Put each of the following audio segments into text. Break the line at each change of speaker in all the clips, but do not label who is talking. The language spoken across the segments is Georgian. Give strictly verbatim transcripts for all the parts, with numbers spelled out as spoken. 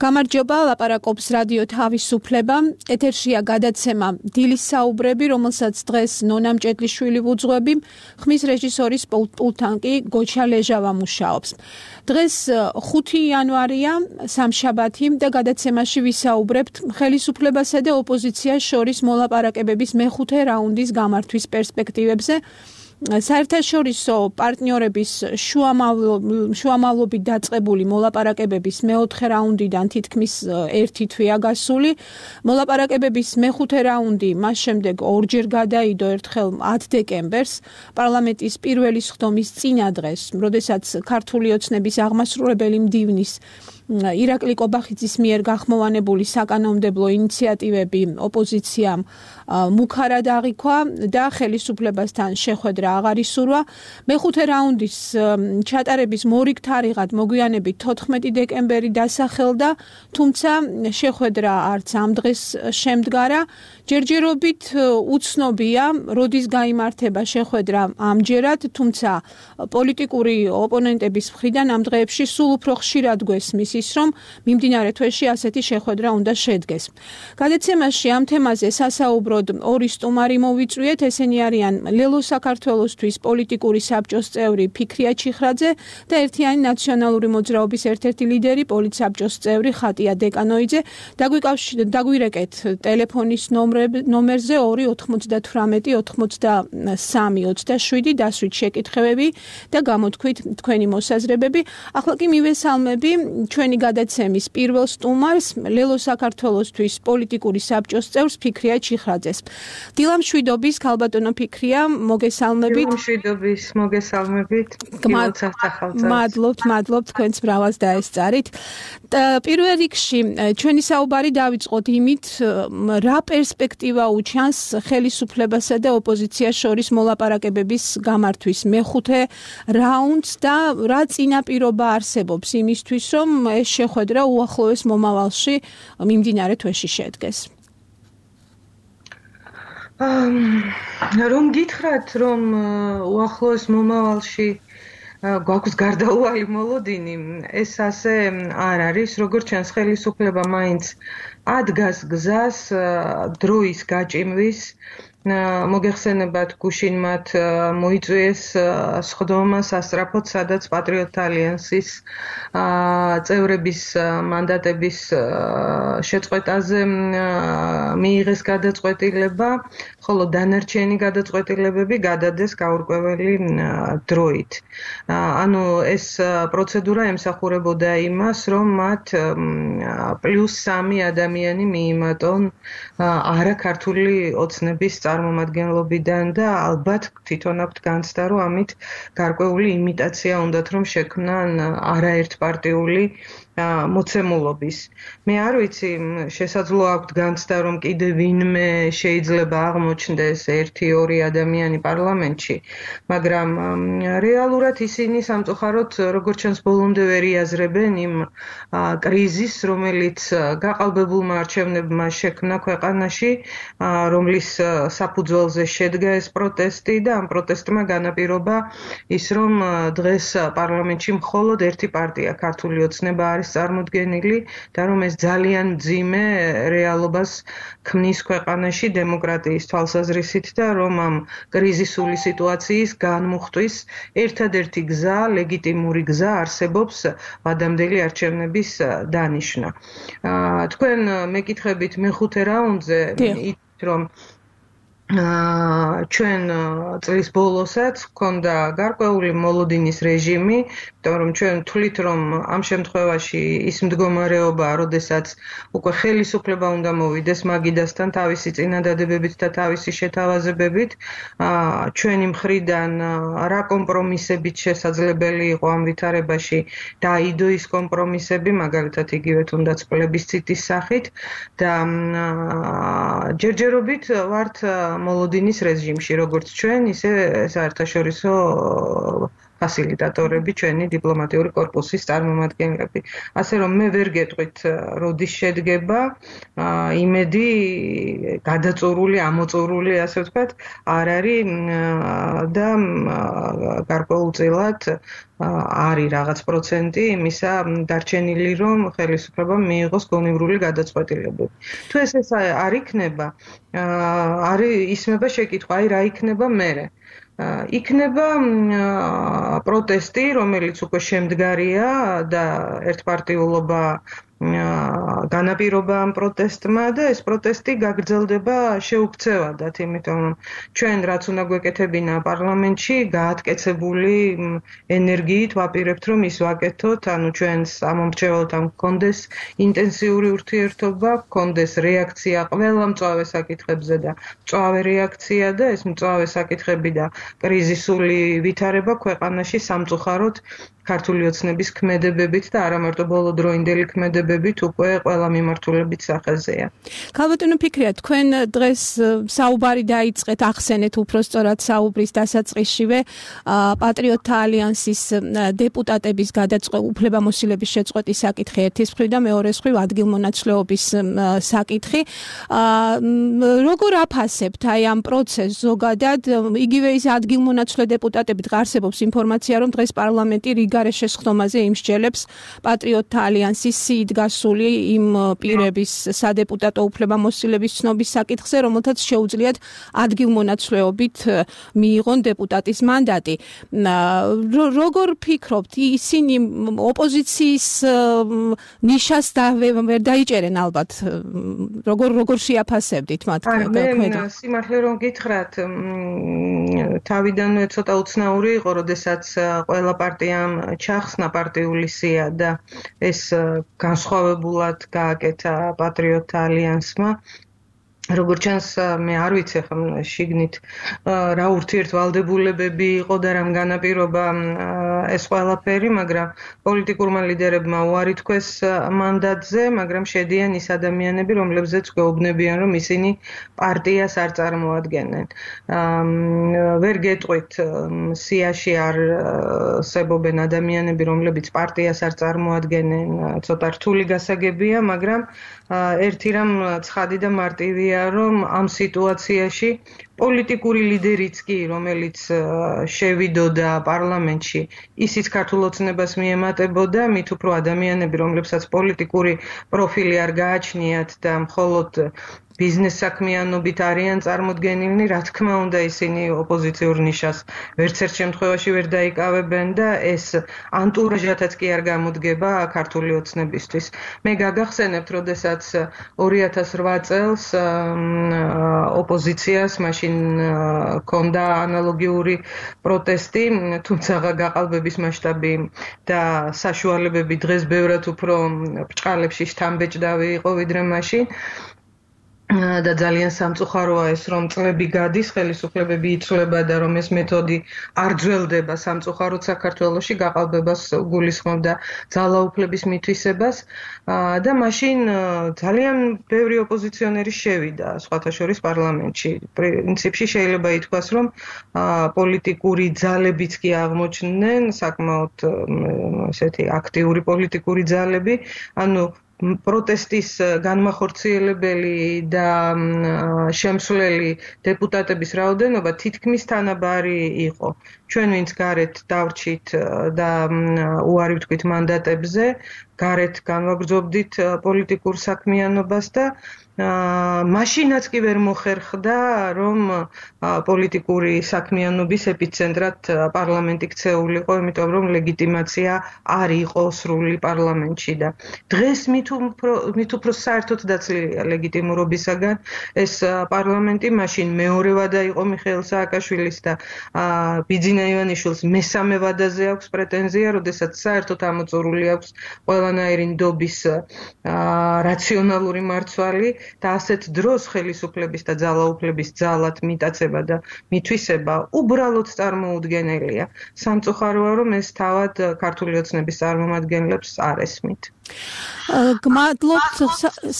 გამარჯობა, ლაპარაკობს რადიო თავისუფლება. ეთერშია გადაცემა დილის საუბრები, რომელსაც დღეს ნონა მჭედლიშვილი ვუძღვები, ხმის რეჟისორის პულტთან კი გოჩა ლეჟავა მუშაობს. დღეს ხუთი იანვარია, სამშაბათი და გადაცემაში ვისაუბრებთ ხელისუფლებასა და ოპოზიციას შორის მოლაპარაკებების მეხუთე რაუნდის გამართვის პერსპექტივებზე. საერთაშორისო პარტნიორების შუამავლობით დაწყებული მოლაპარაკებების მეოთხე რაუნდიდან თითქმის ერთი თვეა გასული. მოლაპარაკებების მეხუთე რაუნდი მას შემდეგ ორჯერ გადაიდო ერთხელ ათ დეკემბერს პარლამენტის პირველი სხდომის წინა დღეს, როდესაც ქართული ოცნების აღმასრულებელი მდივნის ირაკლი კობახიძის მიერ გახმოვანებული საკანონმდებლო ინიციატივები ოპოზიციამ მუქარად აღიქვა და ხელისუფლებასთან შეხვედრა აღარ ისურვა. მეხუთე რაუნდის ჩატარების მორიგ თარიღად მოგვიანებით თოთხმეტი დეკემბერი დასახელდა, თუმცა შეხვედრა არც ამ დღეს შემდგარა. ჯერჯერობით უცნობია, როდის გაიმართება შეხვედრა ამჯერად, თუმცა პოლიტიკური ოპონენტების მხრიდან ამ დღეებში სულ უფრო ხშირად გვესმის ის, რომ მიმდინარე თვეში ასეთი შეხვედრა უნდა შედგეს. გადაცემაში ამ თემაზე სასაუბროდ ორი სტუმარი მოვიწვიეთ, ესენი არიან ლელო საქართველოსთვის პოლიტიკური საბჭოს წევრი ფიქრია ჩიხრაძე და ერთიანი ნაციონალური მოძრაობის ერთ-ერთი ლიდერი პოლიტსაბჭოს წევრი ხატია დეკანოიძე. დაგვირეკეთ ტელეფონის ნომერზე ორი ოთხმოცდათვრამეტი ოცდასამი ოცდაშვიდი დასვით შეკითხებები და გამოთქვით თქვენი მოსაზრებები. ახლა კი მივესალმები ჩვენი გადაცემის პირველ სტუმარს, ლელო საქართველოსთვის პოლიტიკური საბჭოს წევრს ფიქრია ჩიხრაძეს. დილამშვიდობის, ქალბატონო ფიქრია, მოგესალმებით.
დილამშვიდობის, მოგესალმებით.
მადლობთ, მადლობთ, თქვენს ბრავას დაესწარით. პირველ რიგში ჩვენი საუბარი დავიწყოთ იმით, რა პერსპექტივა უჩანს ხელისუფლებასა და ოპოზიციას შორის მოლაპარაკებების გამართვის მეხუთე რაუნდს და რა წინაპირობა არსებობს იმისთვის, რომ ეს შეხვედრა უახლოეს მომავალში მიმდინარე თვეში შედგეს.
რომ გითხრათ, რომ უახლოეს მომავალში გვაქვს გარდაუვალი მოლოდინი, ეს ასე არ არის, როგორც ჩანს ხელისუფლება მაინც ადგას გზას დროის გაჭიმვის. მოგეხსენებათ, გუშინ მათ მოიწვიეს სხდომა სასწრაფოდ, სადაც პატრიოტთა ალიანსის წევრების მანდატების შეწყვეტაზე მიიღეს გადაწყვეტილება, ხოლო დანარჩენი გადაწყვეტილებები გადადეს გაურკვეველი დროით. ანუ ეს პროცედურა ემსახურებოდა იმას, რომ მათ პლუს სამი ადამიანი მიიმატონ არაქართული ოცნების წარმომადგენლობიდან და ალბათ თვითონ აქვთ განცდა, რომ ამით გარკვეული იმიტაცია უნდათ, რომ შექმნან არაერთპარტიული მოცემულობის. მე არ ვიცი, შესაძლოა აქვთ განცდა, რომ კიდე ვინმე შეიძლება აღმოჩნდეს ერთი ორი ადამიანი პარლამენტში, მაგრამ რეალურად ისინი სამწუხაროდ, როგორც ჩანს, ბოლომდე ვერ იაზრებენ იმ კრიზისს, რომელიც გაყალბებულმა არჩევნებმა შექმნა ქვეყანაში, რომლის საფუძველზე შედგა ეს პროტესტი და ამ პროტესტმა განაპირობა ის, რომ დღეს პარლამენტში მხოლოდ ერთი პარტია, ქართული ოცნება არის წარმოდგენილი და რომ ეს ძალიან მძიმე რეალობას ქმნის ქვეყანაში დემოკრატიის თვალსაზრისით და რომ ამ კრიზისული სიტუაციის განმუხტვის ერთადერთი გზა, ლეგიტიმური გზა არსებობს ვადამდელი არჩევნების დანიშვნა. თქვენ მეკითხებით მეხუთე რაუნდზე, რომ ჩვენ წლის ბოლოსაც ჰქონდა გარკვეული მოლოდინის რეჟიმი, იმიტომ რომ ჩვენ თვლით, რომ ამ შემთხვევაში ის მდგომარეობა, როდესაც უკვე ხელისუფლება უნდა მოვიდეს მაგიდასთან თავისი წინადადებებით და თავისი შეთავაზებებით, ჩვენი მხრიდან რა კომპრომისებით შესაძლებელი იყო ამ ვითარებაში დაიდო ის კომპრომისები, მაგალითად იგივე თუნდაც პლებისციტის სახით და ჯერჯერობით ვართ მოლოდინის რეჟიმში, როგორც ჩვენ, ისე საერთაშორისო ფასილიტატორები, ჩვენი დიპლომატიური კორპუსის წარმომადგენლები. ასე რომ მე ვერ გეტყვით, როდის შედგება, იმედი გადაწურული, ამოწურული, ასე ვთქვათ, არ არის და გარკვეულწილად არის რაღაც პროცენტი იმისა დარჩენილი, რომ ხელისუფლებამ მიიღოს გონივრული გადაწყვეტილებები. თუ ეს ეს არ იქნება, არის ისმება შეკითხვა, აი რა იქნება მერე. იქნება პროტესტი, რომელიც უკვე შემდგარია და ერთპარტიულობა განაპირობა ამ პროტესტმა და ეს პროტესტი გაგრძელდება შეუქცევადად, იმიტომ რომ ჩვენ რაც უნდა გვეკეთებინა პარლამენტში, გაატკეცებული ენერგიით ვაპირებთ, რომ ის ვაკეთოთ, ანუ ჩვენს ამომრჩეველთან გქონდეს ინტენსიური ურთიერთობა, გქონდეს რეაქცია ყველა მწვავე საკითხებზე და მწვავე რეაქცია და ეს მწვავე საკითხები და კრიზისული ვითარება ქვეყანაში სამწუხაროდ ქართული ოცნების ქმედებებით და არა მარტო ბოლოდროინდელი ქმედებებით უკვე ყველა მიმართულებით სახეზეა.
ქალბატონო ფიქრია, თქვენ დღეს საუბარი დაიწყეთ, ახსენეთ უпростоრად საუბრის დასაწყისშივე პატრიოტთა ალიანსის დეპუტატების გადაწყვეტ უფლებამოსილების შეწყვეტის საკითხი ერთის მხრივ და მეორეს მხრივ ადგილმონაცვლეობის საკითხი. როგორ აფასებთ აი ამ პროცესს ზოგადად? იგივე ის ადგილმონაცვლე დეპუტატებით არსებობს ინფორმაცია, რომ დღეს პარლამენტი გარე შესხდომაზე იმსჯელებს პატრიოტთა ალიანსის სიით გასული იმ პირების სადეპუტატო უფლებამოსილების ცნობის საკითხზე, რომელთაც შეუძლიათ ადგილმონაცვლეობით მიიღონ დეპუტატის მანდატი. როგორ ფიქრობთ, ისინი ოპოზიციის ნიშას ვერ დაიჭერენ ალბათ? როგორ როგორ შეაფასებდით მათ?
მე სიმართლე რომ გითხრათ, თავიდანვე ცოტა უცნაური იყო, როდესაც ყველა პარტიამ ჩახსნა პარტიული სია და ეს განსხვავებულად გააკეთა პატრიოტთა ალიანსმა. როგორც ჩანს, მე არ ვიცი ახლა შიგნით რა ურთიერთვალდებულებები იყო და რამ განაპირობა ეს ყველაფერი, მაგრამ პოლიტიკურმა ლიდერებმა უარი თქვეს მანდატზე, მაგრამ შედიან ის ადამიანები, რომლებზეც გვეუბნებიან, რომ ისინი პარტიას არ წარმოადგენენ. ვერ გეტყვით, სიაში არ არსებობენ ადამიანები, რომლებიც პარტიას არ წარმოადგენენ, ცოტა რთული გასაგებია, მაგრამ ერთი რამ ცხადი და მარტივია, რომ ამ სიტუაციაში პოლიტიკური ლიდერიც კი, რომელიც შევიდოდა პარლამენტში, ისიც ქართულ ოცნებას მიემატებოდა, მით უფრო ადამიანები, რომლებსაც პოლიტიკური პროფილი არ გააჩნიათ და მხოლოდ ბიზნეს საქმიანობით არიან წარმოდგენილნი, რა თქმა უნდა, ისინი ოპოზიციურ ნიშას ვერც ერთ შემთხვევაში ვერ დაიკავებენ და ეს ანტურაჟათაც კი არ გამოდგება ქართული ოცნებისთვის. მე გაგახსენებთ, როდესაც ორი ათას რვა წელს ოპოზიციას მაშინ ჰქონდა ანალოგიური პროტესტი, თუმცა გაყალბების მასშტაბი და საშუალებები დღეს ბევრად უფრო ბრჭყალებში შთამბეჭდავი იყო ვიდრე მაშინ. და ძალიან სამწუხაროა ეს, რომ წლები გადის, ხელისუფლებები იცვლება და რომ ეს მეთოდი არ ძველდება სამწუხაროდ საქართველოში, გაყალბებას გულისხმობდა ძალაუფლების მითვისებას და მაშინ ძალიან ბევრი ოპოზიციონერი შევიდა, სხვათა შორის პარლამენტში. პრინციპში შეიძლება ითქვას, რომ პოლიტიკური ძალებიც კი აღმოჩნდნენ, საკმაოდ ესეთი აქტიური პოლიტიკური ძალები, ანუ პროტესტის განმახორციელებელი და შემსვლელი დეპუტატების რაოდენობა თითქმის თანაბარი იყო. ჩვენ ვინც გარეთ დავრჩით და უარი ვთქვით მანდატებზე, გარეთ განვაგრძობდით პოლიტიკურ საქმიანობას და მაშინაც კი ვერ მოხერხდა, რომ პოლიტიკური საქმიანობის ეპიცენტრად პარლამენტი ქცეულიყო, იმიტომ რომ ლეგიტიმაცია არ იყო სრული პარლამენტში და დღეს მით უფრო საერთოდ დაცლილია ლეგიტიმურობისაგან ეს პარლამენტი, მაშინ მეორე ვადა იყო მიხეილ სააკაშვილის და ბიძინა ივანიშვილს მესამე ვადაზე აქვს პრეტენზია, როდესაც საერთოდ ამოწურული აქვს ყველანაირი ნდობის რაციონალური მარცვალი და ასეთ დროს ხელისუფლების და ძალაუფლების ძალად მიტაცება და მითვისება უბრალოდ წარმოუდგენელია. სამწუხაროა, რომ ეს თავად ქართული ოცნების წარმომადგენლებს არ ესმით.
გმადლობთ,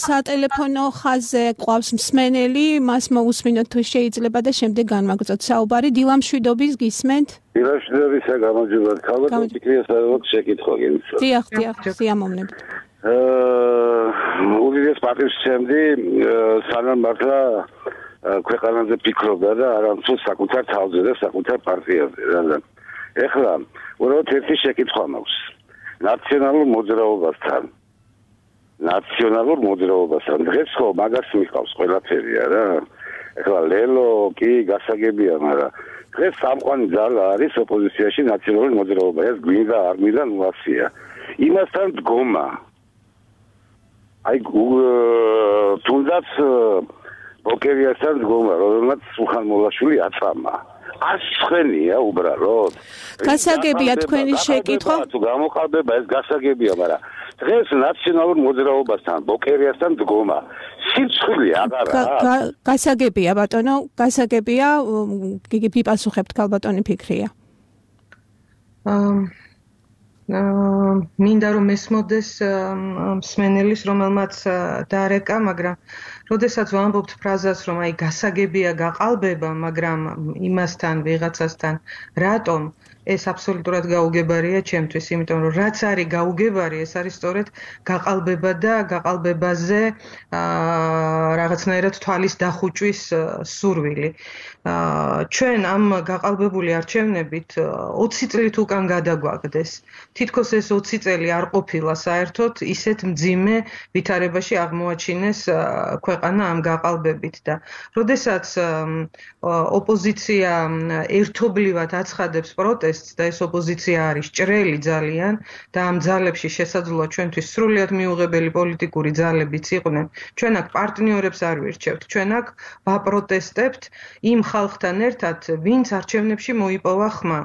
სატელეფონო ხაზზე ყავს მსმენელი, მას მოусმინოთ თუ შეიძლება და შემდეგ განვაგრძოთ საუბარი. დილა მშვიდობის გისმენთ?
დილა მშვიდობისა, გამარჯობა. ქალბატონ ფიქრია, სადაც შეკითხვა გინდა.
დიახ, დიახ, სიამოვნებით.
უდიდეს პატივსცემდი სანამ მართლა ქვეყანაზე ფიქრობდა და არამხოლოდ საკუთარ თავზე და საკუთარ პარტიაზე. რადგან ეხლა უბრალოდ ერთი შეკითხვა მაქვს. ნაციონალურ მოძრაობასთან ნაციონალურ მოძრაობასთან დღეს ხო მაგას მიყავს ყველაფერი არა? ეხლა ლელო კი გასაგებია, მაგრამ დღეს სამყვანი ძალა არის ოპოზიციაში ნაციონალური მოძრაობა. ეს გვინდა არ გვინდა ნუასია. იმასთან დგომა. აი თუნდაც ბოკერიასთან დგომა, რომელმაც სულხან მოლაშვილი აწამა. ასხენია უბრალოდ.
გასაგებია თქვენი შეკითხვა.
თუ გამოყალბება ეს გასაგებია, მაგრამ დღეს ნაციონალურ მოძრაობასთან ბოკერიასთან დგომა. სიცხლე აღარა.
გასაგებია ბატონო, გასაგებია, გიპასუხებთ ქალბატონი ფიქრია.
მინდა რომ ესმოდეს მსმენელის, რომელმაც დარეკა, მაგრამ როდესაც ვამბობთ ფრაზას, რომ აი გასაგებია გაყალბება, მაგრამ იმასთან ვიღაცასთან რატომ ეს აბსოლუტურად გაუგებარია ჩემთვის, იმიტომ რომ რაც არის გაუგებარი, ეს არის სწორედ გაყალბება და გაყალბებაზე რაღაცნაირად თვალის დახუჭვის სურვილი. ჩვენ ამ გაყალბებული არჩევნებით ოცი წლით უკან გადაგვაგდეს. თითქოს ეს ოცი წელი არ ყოფილა საერთოდ ისეთ მძიმე ვითარებაში აღმოაჩინეს ქვეყანა ამ გაყალბებით და როდესაც ოპოზიცია ერთობლივად აცხადებს პროტესტს და ეს ოპოზიცია არის ჭრელი ძალიან და ამ ძალებში შესაძლოა ჩვენთვის სრულიად მიუღებელი პოლიტიკური ძალებიც იყვნენ, ჩვენ აქ პარტნიორებს არ ვირჩევთ, ჩვენ აქ ვაპროტესტებთ იმ ხალხთან ერთად, ვინც არჩევნებში მოიპოვა ხმა.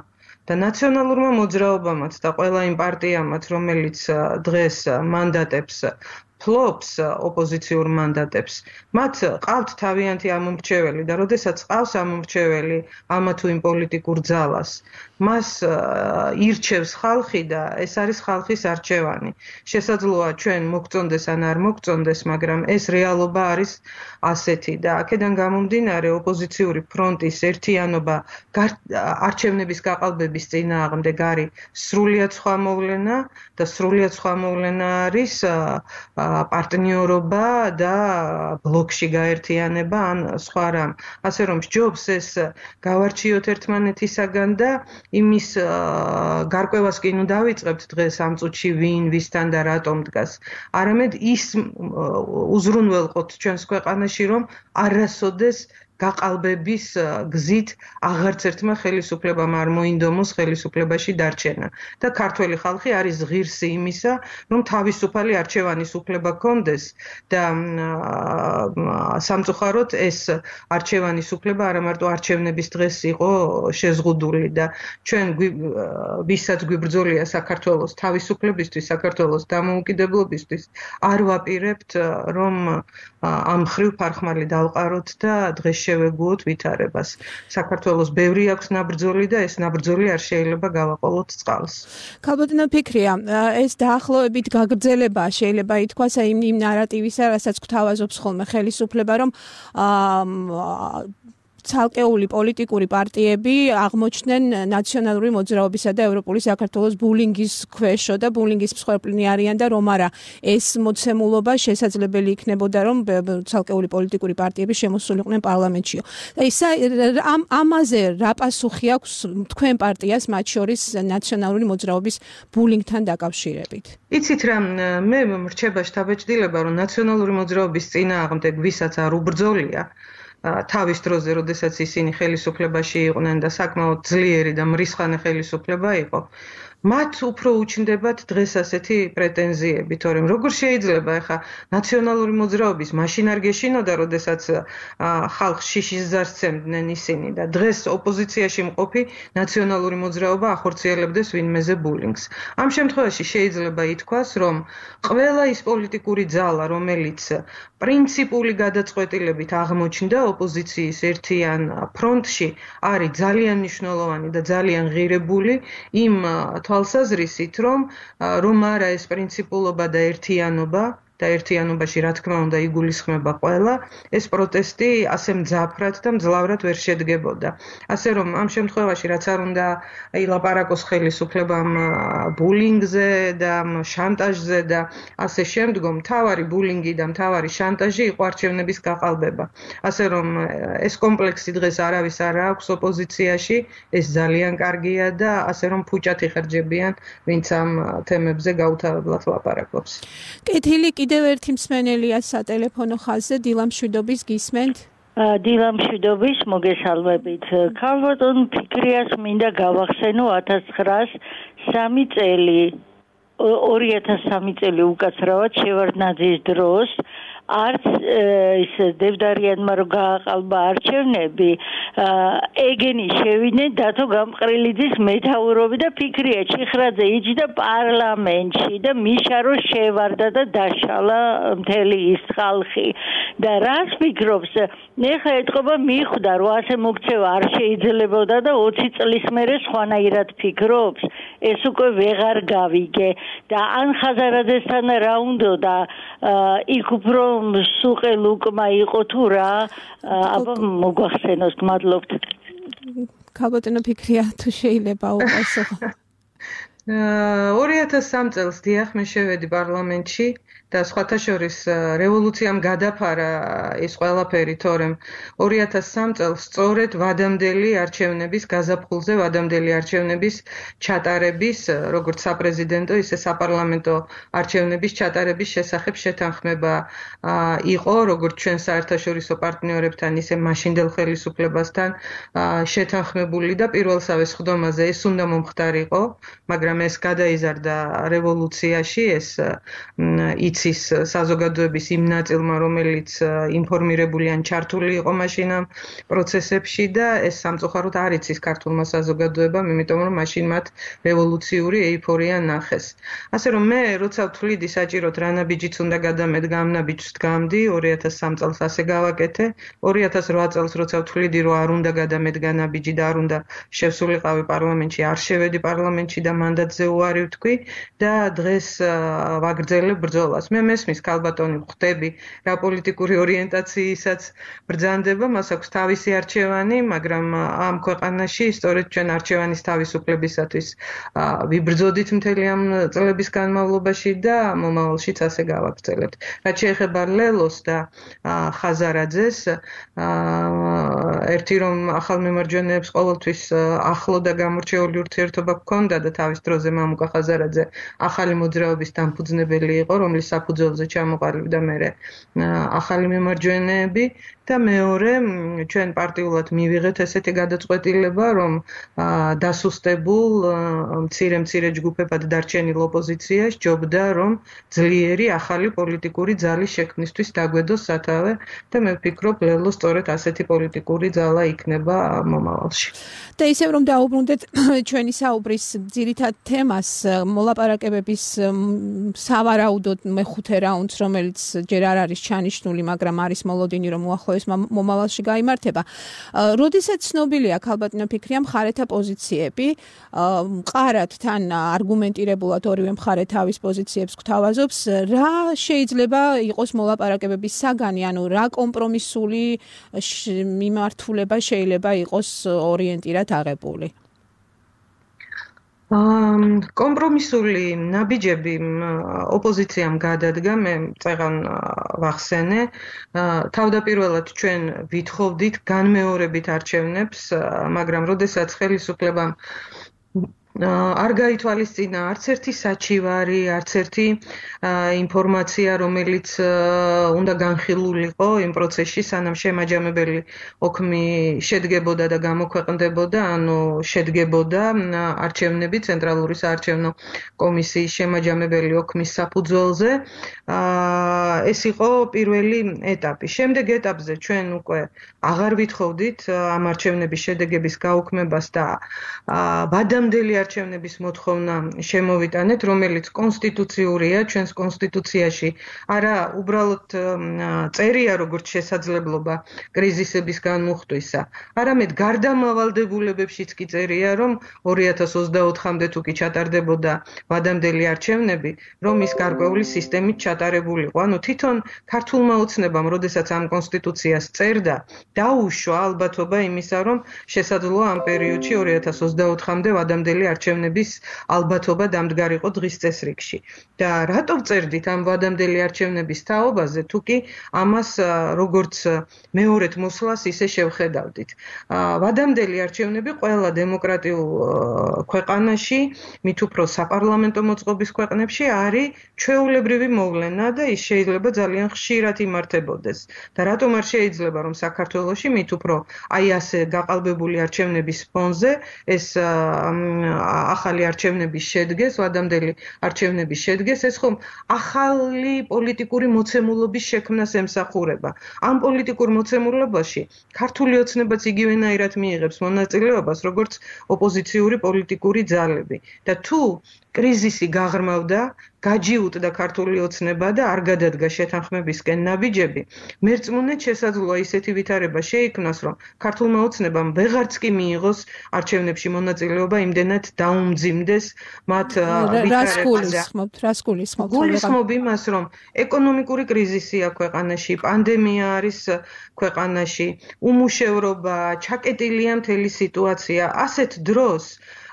და ნაციონალურმა მოძრაობამაც და ყველა იმ პარტიამაც, რომელიც დღეს მანდატებს ფლობს ოპოზიციურ მანდატებს, მათ ყავთ თავიანთი ამომრჩეველი და როდესაც ყავს ამომრჩეველი ამა თუ იმ პოლიტიკურ ძალას, მას ირჩევს ხალხი და ეს არის ხალხის არჩევანი. შესაძლოა ჩვენ მოგწონდეს ან არ მოგწონდეს, მაგრამ ეს რეალობა არის ასეთი და აქედან გამომდინარე ოპოზიციური ფრონტის ერთიანობა არჩევნების გაყალბების წინააღმდეგ არის სრულიად სხვა მოვლენა და სრულიად სხვა მოვლენა არის პარტნიორობა და ბლოკში გაერთიანება ან სხვა რამ. ასე რომ სჯობს ეს გავარჩიოთ ერთმანეთისაგან და იმის გარკვევას კი ნუ დავიწყებთ დღეს ამ წუთში ვინ ვისთან და რატომ დგას. არამედ ის უზრუნველყოთ ჩვენს ქვეყანაში, რომ არასოდეს გაყალბების გზით აღარც ერთმა ხელისუფლებამ არ მოინდომოს ხელისუფლებაში დარჩენა და ქართველი ხალხი არის ღირსი იმისა, რომ თავისუფალი არჩევანის უფლება ჰქონდეს და სამწუხაროდ ეს არჩევანის უფლება არა მარტო არჩევნების დღეს იყო შეზღუდული და ჩვენ ვისაც გვიბრძოლია საქართველოს თავისუფლებისთვის, საქართველოს დამოუკიდებლობისთვის არ ვაპირებთ, რომ ამ ხრივ ფარხმალი დავყაროთ და დღეს შევეგუოთ ვითარებას. საქართველოს ბევრი აქვს ნაბრძოლი და ეს ნაბრძოლი არ შეიძლება გავაყოლოთ წყალს.
ქალბატონო ფიქრია, ეს დაახლოებით გაგრძელება შეიძლება ითქვას იმ იმ ნარატივისა, რასაც გვთავაზობს ხოლმე ხელისუფლება, რომ ცალკეული პოლიტიკური პარტიები აღმოჩნდნენ ნაციონალური მოძრაობისა და ევროპული საქართველოს ბულინგის ქვეშო და ბულინგის მსხვერპლნი არიან და რომ არა ეს მოცემულობა შესაძლებელი იქნებოდა, რომ ცალკეული პოლიტიკური პარტიები შემოსულიყვნენ პარლამენტშიო. და ისა ამ ამაზე რა პასუხი აქვს თქვენ პარტიას, მათ შორის ნაციონალური მოძრაობის ბულინგთან დაკავშირებით?
იცით რა, მე მრჩება შთაბეჭდილება, რომ ნაციონალური მოძრაობის წინააღმდეგ ვისაც არ უბრძოლია თავის დროზე, როდესაც ისინი ხელისუფლებაში იყვნენ და საკმაოდ ძლიერი და მრისხანე ხელისუფლება იყო, მათ უფრო უჩნდებათ დღეს ასეთი პრეტენზიები, თორემ როგორ შეიძლება ახლა ნაციონალური მოძრაობის მაშინ არ გეშინოდა, როდესაც ხალხს შიშის ზარს სცემდნენ ისინი და დღეს ოპოზიციაში მყოფი ნაციონალური მოძრაობა ახორციელებდეს ვინმეზე ბულინგს. ამ შემთხვევაში შეიძლება ითქვას, რომ ყველა ის პოლიტიკური ძალა, რომელიც პრინციპული გადაწყვეტილებით აღმოჩნდა ოპოზიციის ერთიან ფრონტში, არის ძალიან მნიშვნელოვანი და ძალიან ღირებული იმ თვალსაზრისით, რომ რომ არა ეს პრინციპულობა და ერთიანობა და ერთიანობაში რა თქმა უნდა იგულისხმება ყველა, ეს პროტესტი ასე მძაფრად და მძლავრად ვერ შედგებოდა. ასე რომ ამ შემთხვევაში რაც არ უნდა ილაპარაკოს ხელისუფლებამ ბულინგზე და შანტაჟზე და ასე შემდგომ, მთავარი ბულინგი და მთავარი შანტაჟი იყო არჩევნების გაყალბება. ასე რომ ეს კომპლექსი დღეს არავის არ აქვს ოპოზიციაში, ეს ძალიან კარგია და ასე რომ ფუჭად იხარჯებიან, ვინც ამ თემებზე გაუთავებლად ლაპარაკობს.
კეთილი კიდევ ერთი მსმენელია სატელეფონო ხაზზე, დილა მშვიდობის გისმენთ?
დილა მშვიდობის, მოგესალმებით. ქალბატონ ფიქრიას მინდა გავახსენო ათას ცხრაას სამი წელი, ორი ათას სამი წელი უკაცრავად შევარდნაძის დროს არც ის დევდარიანმა რო გააყალბა არჩევნები, ეგენი შევიდნენ დათო გამყრელიძის მეთაურობით და ფიქრია ჩიხრაძე იჯდა პარლამენტში და მიშა რო შევარდა და დაშალა მთელი ის ხალხი. და რას ფიქრობს, ეხლა ეთყობა მიხვდა რომ ასე მოქცევა არ შეიძლებოდა და ოცი წლის მერე სხვანაირად ფიქრობს, ეს უკვე ვეღარ გავიგე და ან ხაზარაძესთან რა უნდა და იქ უფრო სუყე ლუკმა იყო თუ რა, აბა მოგვახსენოს, გმადლობთ.
ქალბატონო ფიქრია თუ შეიძლება უყესო.
ორი ათას სამი წელს დიახ მე შევედი პარლამენტში და სხვათა შორის რევოლუციამ გადაფარა ეს ყველაფერი, თორემ ორი ათას სამი წელს სწორედ ვადამდელი არჩევნების გაზაფხულზე, ვადამდელი არჩევნების ჩატარების, როგორც საპრეზიდენტო, ისე საპარლამენტო არჩევნების ჩატარების შესახებ შეთანხმება იყო, როგორც ჩვენ საერთაშორისო პარტნიორებთან, ისე მაშინდელ ხელისუფლებასთან შეთანხმებული და პირველსავე სხდომაზე ეს უნდა მომხდარიყო, მაგრამ ეს გადაიზარდა რევოლუციაში, ეს იცის საზოგადოების იმ ნაწილმა, რომელიც ინფორმირებული ან ჩართული იყო მაშინ ამ პროცესებში და ეს სამწუხაროდ არ იცის ქართულმა საზოგადოებამ, იმიტომ რომ მაშინ მათ რევოლუციური ეიფორია ნახეს. ასე რომ მე როცა ვთვლიდი საჭიროდ რა ნაბიჯიც უნდა გადამედგა, ამ ნაბიჯს დგამდი, ორი ათას სამი წელს ასე გავაკეთე, ორი ათას რვა წელს როცა ვთვლიდი რომ არ უნდა გადამედგა ნაბიჯი და არ უნდა შევსულიყავი პარლამენტში, არ შევედი პარლამენტში და მანდატზე უარი ვთქვი და დღეს ვაგრძელებ ბრძოლას. მე მესმის ქალბატონი ხვდები რა პოლიტიკური ორიენტაციისაც ბრძანდება, მას აქვს თავისი არჩევანი, მაგრამ ამ ქვეყანაში სწორედ ჩვენ არჩევანის თავისუფლებისათვის ვიბრძოდით მთელი ამ წლების განმავლობაში და მომავალშიც ასე გავაგრძელებთ. რაც შეეხება ლელოს და ხაზარაძეს, ერთი რომ ახალ მემარჯვენეებს ყოველთვის ახლო და გამორჩეული ურთიერთობა ჰქონდა და თავის დროზე მამუკა ხაზარაძე ახალი მოძრაობის დამფუძნებელი იყო, რომლის საფუძველზე ჩამოყალიბდა მერე ახალი მემარჯვენეები და მეორე ჩვენ პარტიულად მივიღეთ ესეთი გადაწყვეტილება, რომ დასუსტებულ მცირე-მცირე ჯგუფებად დარჩენილ ოპოზიციას ჯობდა, რომ ძლიერი ახალი პოლიტიკური ძალის შექმნისთვის დაგვედოს სათავე და მე ვფიქრობ, ლელო სწორედ ასეთი პოლიტიკური ძალა იქნება მომავალში.
და ისევ რომ დაუბრუნდეთ ჩვენი საუბრის ძირითად თემას, მოლაპარაკებების სავარაუდოდ მეხუთე რაუნდს, რომელიც ჯერ არ არის ჩანიშნული, მაგრამ არის მოლოდინი, რომ უახლოეს მომავალში გაიმართება. როდესაც ცნობილია ქალბატონო ფიქრია მხარეთა პოზიციები, მყარად თან არგუმენტირებულად ორივე მხარე თავის პოზიციებს გვთავაზობს, რა შეიძლება იყოს მოლაპარაკებების საგანი, ანუ რა კომპრომისული მიმართულება შეიძლება იყოს ორიენტირად აღებული?
კომპრომისული ნაბიჯები ოპოზიციამ გადადგა, მე წეღან ვახსენე. თავდაპირველად ჩვენ ვითხოვდით განმეორებით არჩევნებს, მაგრამ როდესაც ხელისუფლებამ არ გაითვალისწინა არც ერთი საჩივარი, არც ერთი ინფორმაცია, რომელიც უნდა განხილულიყო იმ პროცესში, სანამ შემაჯამებელი ოქმი შედგებოდა და გამოქვეყნდებოდა, ანუ შედგებოდა არჩევნები ცენტრალური საარჩევნო კომისიის შემაჯამებელი ოქმის საფუძველზე. ეს იყო პირველი ეტაპი. შემდეგ ეტაპზე ჩვენ უკვე აღარ ვითხოვდით ამ არჩევნების შედეგების გაუქმებას და ვადამდელი არჩევნების მოთხოვნა შემოვიტანეთ, რომელიც კონსტიტუციურია ჩვენს კონსტიტუციაში. არა, უბრალოდ წერია როგორც შესაძლებლობა კრიზისების განმუხტვისა. არამედ გარდამავალდებულებებშიც კი წერია, რომ ორი ათას ოცდაოთხამდე თუ კი ჩატარდებოდა ვადამდელი არჩევნები, რომ ის გარკვეული სისტემით ჩატარებულიყო. ანუ თვითონ ქართულმა ოცნებამ, როდესაც ამ კონსტიტუციას წერდა, დაუშვა ალბათობა იმისა, რომ შესაძლოა ამ პერიოდში ორი ათას ოცდაოთხამდე ვადამდელი არჩევნების ალბათობა დამდგარიყო დღის წესრიგში. და რატო წერდით ამ ვადამდელი არჩევნების თაობაზე, თუ კი ამას როგორც მეორედ მოსვლას ისე შევხედავდით. ვადამდელი არჩევნები ყველა დემოკრატიულ ქვეყანაში, მით უფრო საპარლამენტო მოწყობის ქვეყნებში არის ჩვეულებრივი მოვლენა და ის შეიძლება ძალიან ხშირად იმართებოდეს. და რატომ არ შეიძლება რომ საქართველოში მით უფრო აი ასე გაყალბებული არჩევნების ფონზე ეს ახალი არჩევნების შედგეს, ვადამდელი არჩევნების შედგეს, ეს ხომ ახალი პოლიტიკური მოცემულობის შექმნას ემსახურება. ამ პოლიტიკურ მოცემულობაში ქართული ოცნებაც იგივენაირად მიიღებს მონაწილეობას, როგორც ოპოზიციური პოლიტიკური ძალები. და თუ კრიზისი გაღრმავდა, გაჯიუტდა ქართული ოცნება და არ გადადგა შეთანხმებისკენ ნაბიჯები, მერწმუნედ შესაძლოა ისეთი ვითარება შეიქმნას, რომ ქართულმა ოცნებამ ვეღარც კი მიიღოს არჩევნებში მონაწილეობა, იმდენად დაუმძიმდეს მათ
ვითარებაზე. რას გულისხმობთ?
გულისხმობ იმას, რომ ეკონომიკური კრიზისია ქვეყანაში, პანდემია არის ქვეყანაში, უმუშევრობა, ჩაკეტილია მთელი სიტუაცია, ასეთ დროს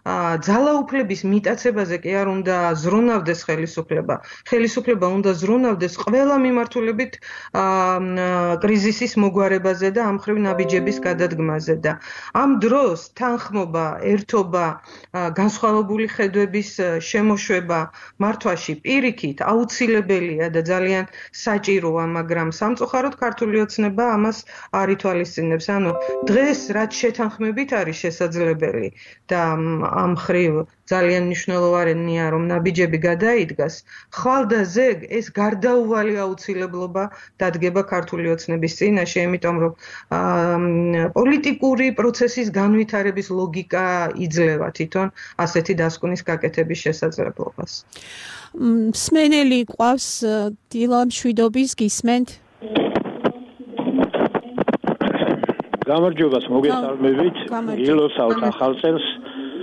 ძალაუფლების მიტაცებაზე კი არ უნდა ზრუნავდეს ხელისუფლება. ხელისუფლება უნდა ზრუნავდეს ყველა მიმართულებით კრიზისის მოგვარებაზე და ამხრივ ნაბიჯების გადადგმაზე და ამ დროს თანხმობა, ერთობა, განსხვავებული ხედვების შემოშვება მართვაში პირიქით აუცილებელია და ძალიან საჭიროა, მაგრამ სამწუხაროდ ქართული ოცნება ამას არ ითვალისწინებს. ანუ დღეს რაც შეთანხმებით არის შესაძლებელი და ამ ხრივ ძალიან მნიშვნელოვანია რომ ნაბიჯები გადაიდგას, ხვალ და ზეგ ეს გარდაუვალი აუცილებლობა დადგება ქართული ოცნების წინაშე, იმიტომ რომ პოლიტიკური პროცესის განვითარების ლოგიკა იძლევა თვითონ ასეთი დასკვნის გაკეთების შესაძლებლობას.
მსმენელი ყავს დილა მშვიდობის გისმენთ?
გამარჯვებას მოგესალმებით. ილოცავთ ახალ წელს.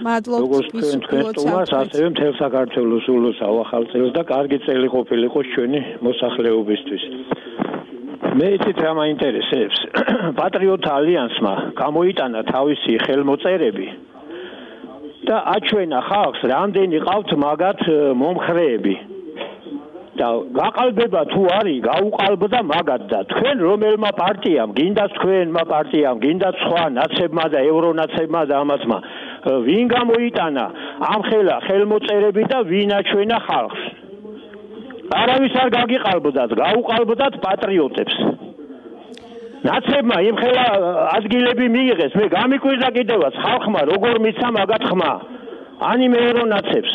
მადლობთ
როგორც თქვენ თუმას ასევე მთელ საქართველოს ულოცავ ახალ წელს და კარგი წელი ყოფილიყო ჩვენი მოსახლეობისთვის. მე იცით რა მაინტერესებს. პატრიოტთა ალიანსმა გამოიტანა თავისი ხელმოწერები და აჩვენა ხალხს რამდენი ყავთ მაგათ მომხრეები. და გაყალბება თუ არის, გაუყალბდა მაგათ და თქვენ რომელმა პარტიამ, გინდათ თქვენმა პარტიამ, გინდათ სხვა ნაცებმა და ევრონაცებმა და ამათმა ვინ გამოიტანა ამ ხელა ხელმოწერები და ვინ აჩვენა ხალხს. არავის არ გაგიყალბდათ, გაუყალბდათ პატრიოტებს. ნაცებმა იმ ხელა ადგილები მიიღეს, მე გამიკვირდა კიდევაც ხალხმა როგორ მიცა მაგათ ხმა. ანიმე ევრონაცებს.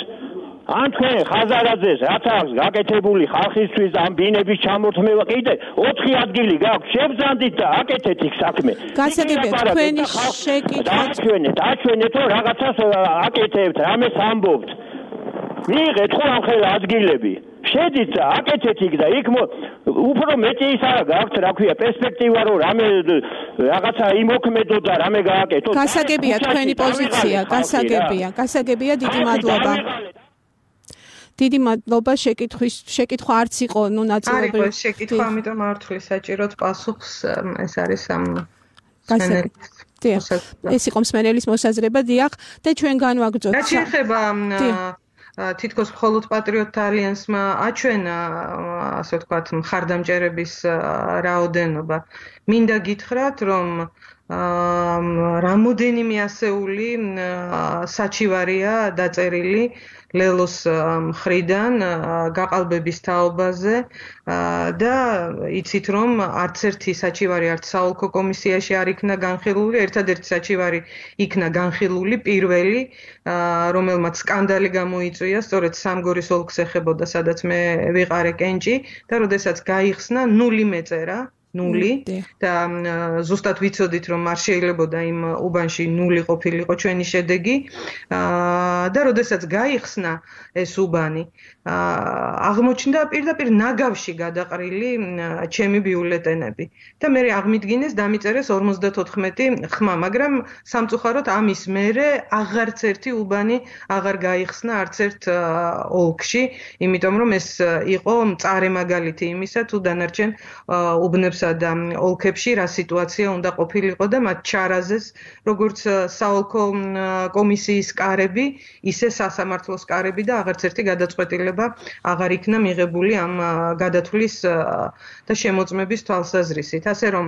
ან თქვენ ხაზარაძეს რაც აქვს გაკეთებული ხალხისთვის ამ ბინების ჩამორთმევა კიდე ოთხი ადგილი გაქვს, შევძანდით და აკეთეთ იქ საქმე.
გასაგებია თქვენი შეკითხვა
აჩვენეთ, აჩვენეთ რომ რაღაცას აკეთებთ, რამეს ამბობთ. მიიღეთ ხო ამ ხელა ადგილები. შედით და აკეთეთ იქ და იქ უფრო მეტი ის არა გაქვთ, რა ქვია, პერსპექტივა რომ რამე რაღაცა იმოქმედო და რამე გააკეთოთ.
გასაგებია თქვენი პოზიცია, გასაგებია, გასაგებია, დიდი მადლობა. დიდი მადლობა შეკითხვის შეკითხვა არც იყო ნუ ნაწილობრივ
არის შეკითხვა ამიტომ არ ვთვლი საჭიროდ პასუხს ეს არის ამ
ეს იყო მსმენელის მოსაზრება დიახ და ჩვენ განვაგრძოთ
რა შეიძლება თითქოს მხოლოდ პატრიოტთა ალიანსმა აჩვენა ასე ვთქვათ მხარდამჭერების რაოდენობა მინდა გითხრათ რომ რამოდენიმე ასეული საჩივარია დაწერილი ლელოს მხრიდან გაყალბების თაობაზე და იცით რომ არც ერთი საჩივარი არც საოლქო კომისიაში არ იქნა განხილული, ერთადერთი საჩივარი იქნა განხილული პირველი, რომელმაც სკანდალი გამოიწვია, სწორედ სამგორის ოლქს ეხებოდა, სადაც მე ვიყარე კენჭი და როდესაც გაიხსნა ნული მეწერა ნული და ზუსტად ვიცოდით რომ არ შეიძლებოდა იმ უბანში ნული ყოფილიყო ჩვენი შედეგი და როდესაც გაიხსნა ეს უბანი აღმოჩნდა პირდაპირ ნაგავში გადაყრილი ჩემი ბიულეტენები და მე აღმიდგინეს დამიწერეს ორმოცდათოთხმეტი ხმა მაგრამ სამწუხაროდ ამის მერე აღარც ერთი უბანი აღარ გაიხსნა არც ერთ ოლქში იმიტომ რომ ეს იყო მწარე მაგალითი იმისა თუ დანარჩენ უბნებსა და ოლქებში რა სიტუაცია უნდა ყოფილიყო და მათ ჩარაზეს როგორც საოლქო კომისიის კარები ისე სასამართლოს კარები და აღარც ერთი გადაწყვეტილება აღარ იქნა მიღებული ამ გადათვლის და შემოწმების თვალსაზრისით ასე რომ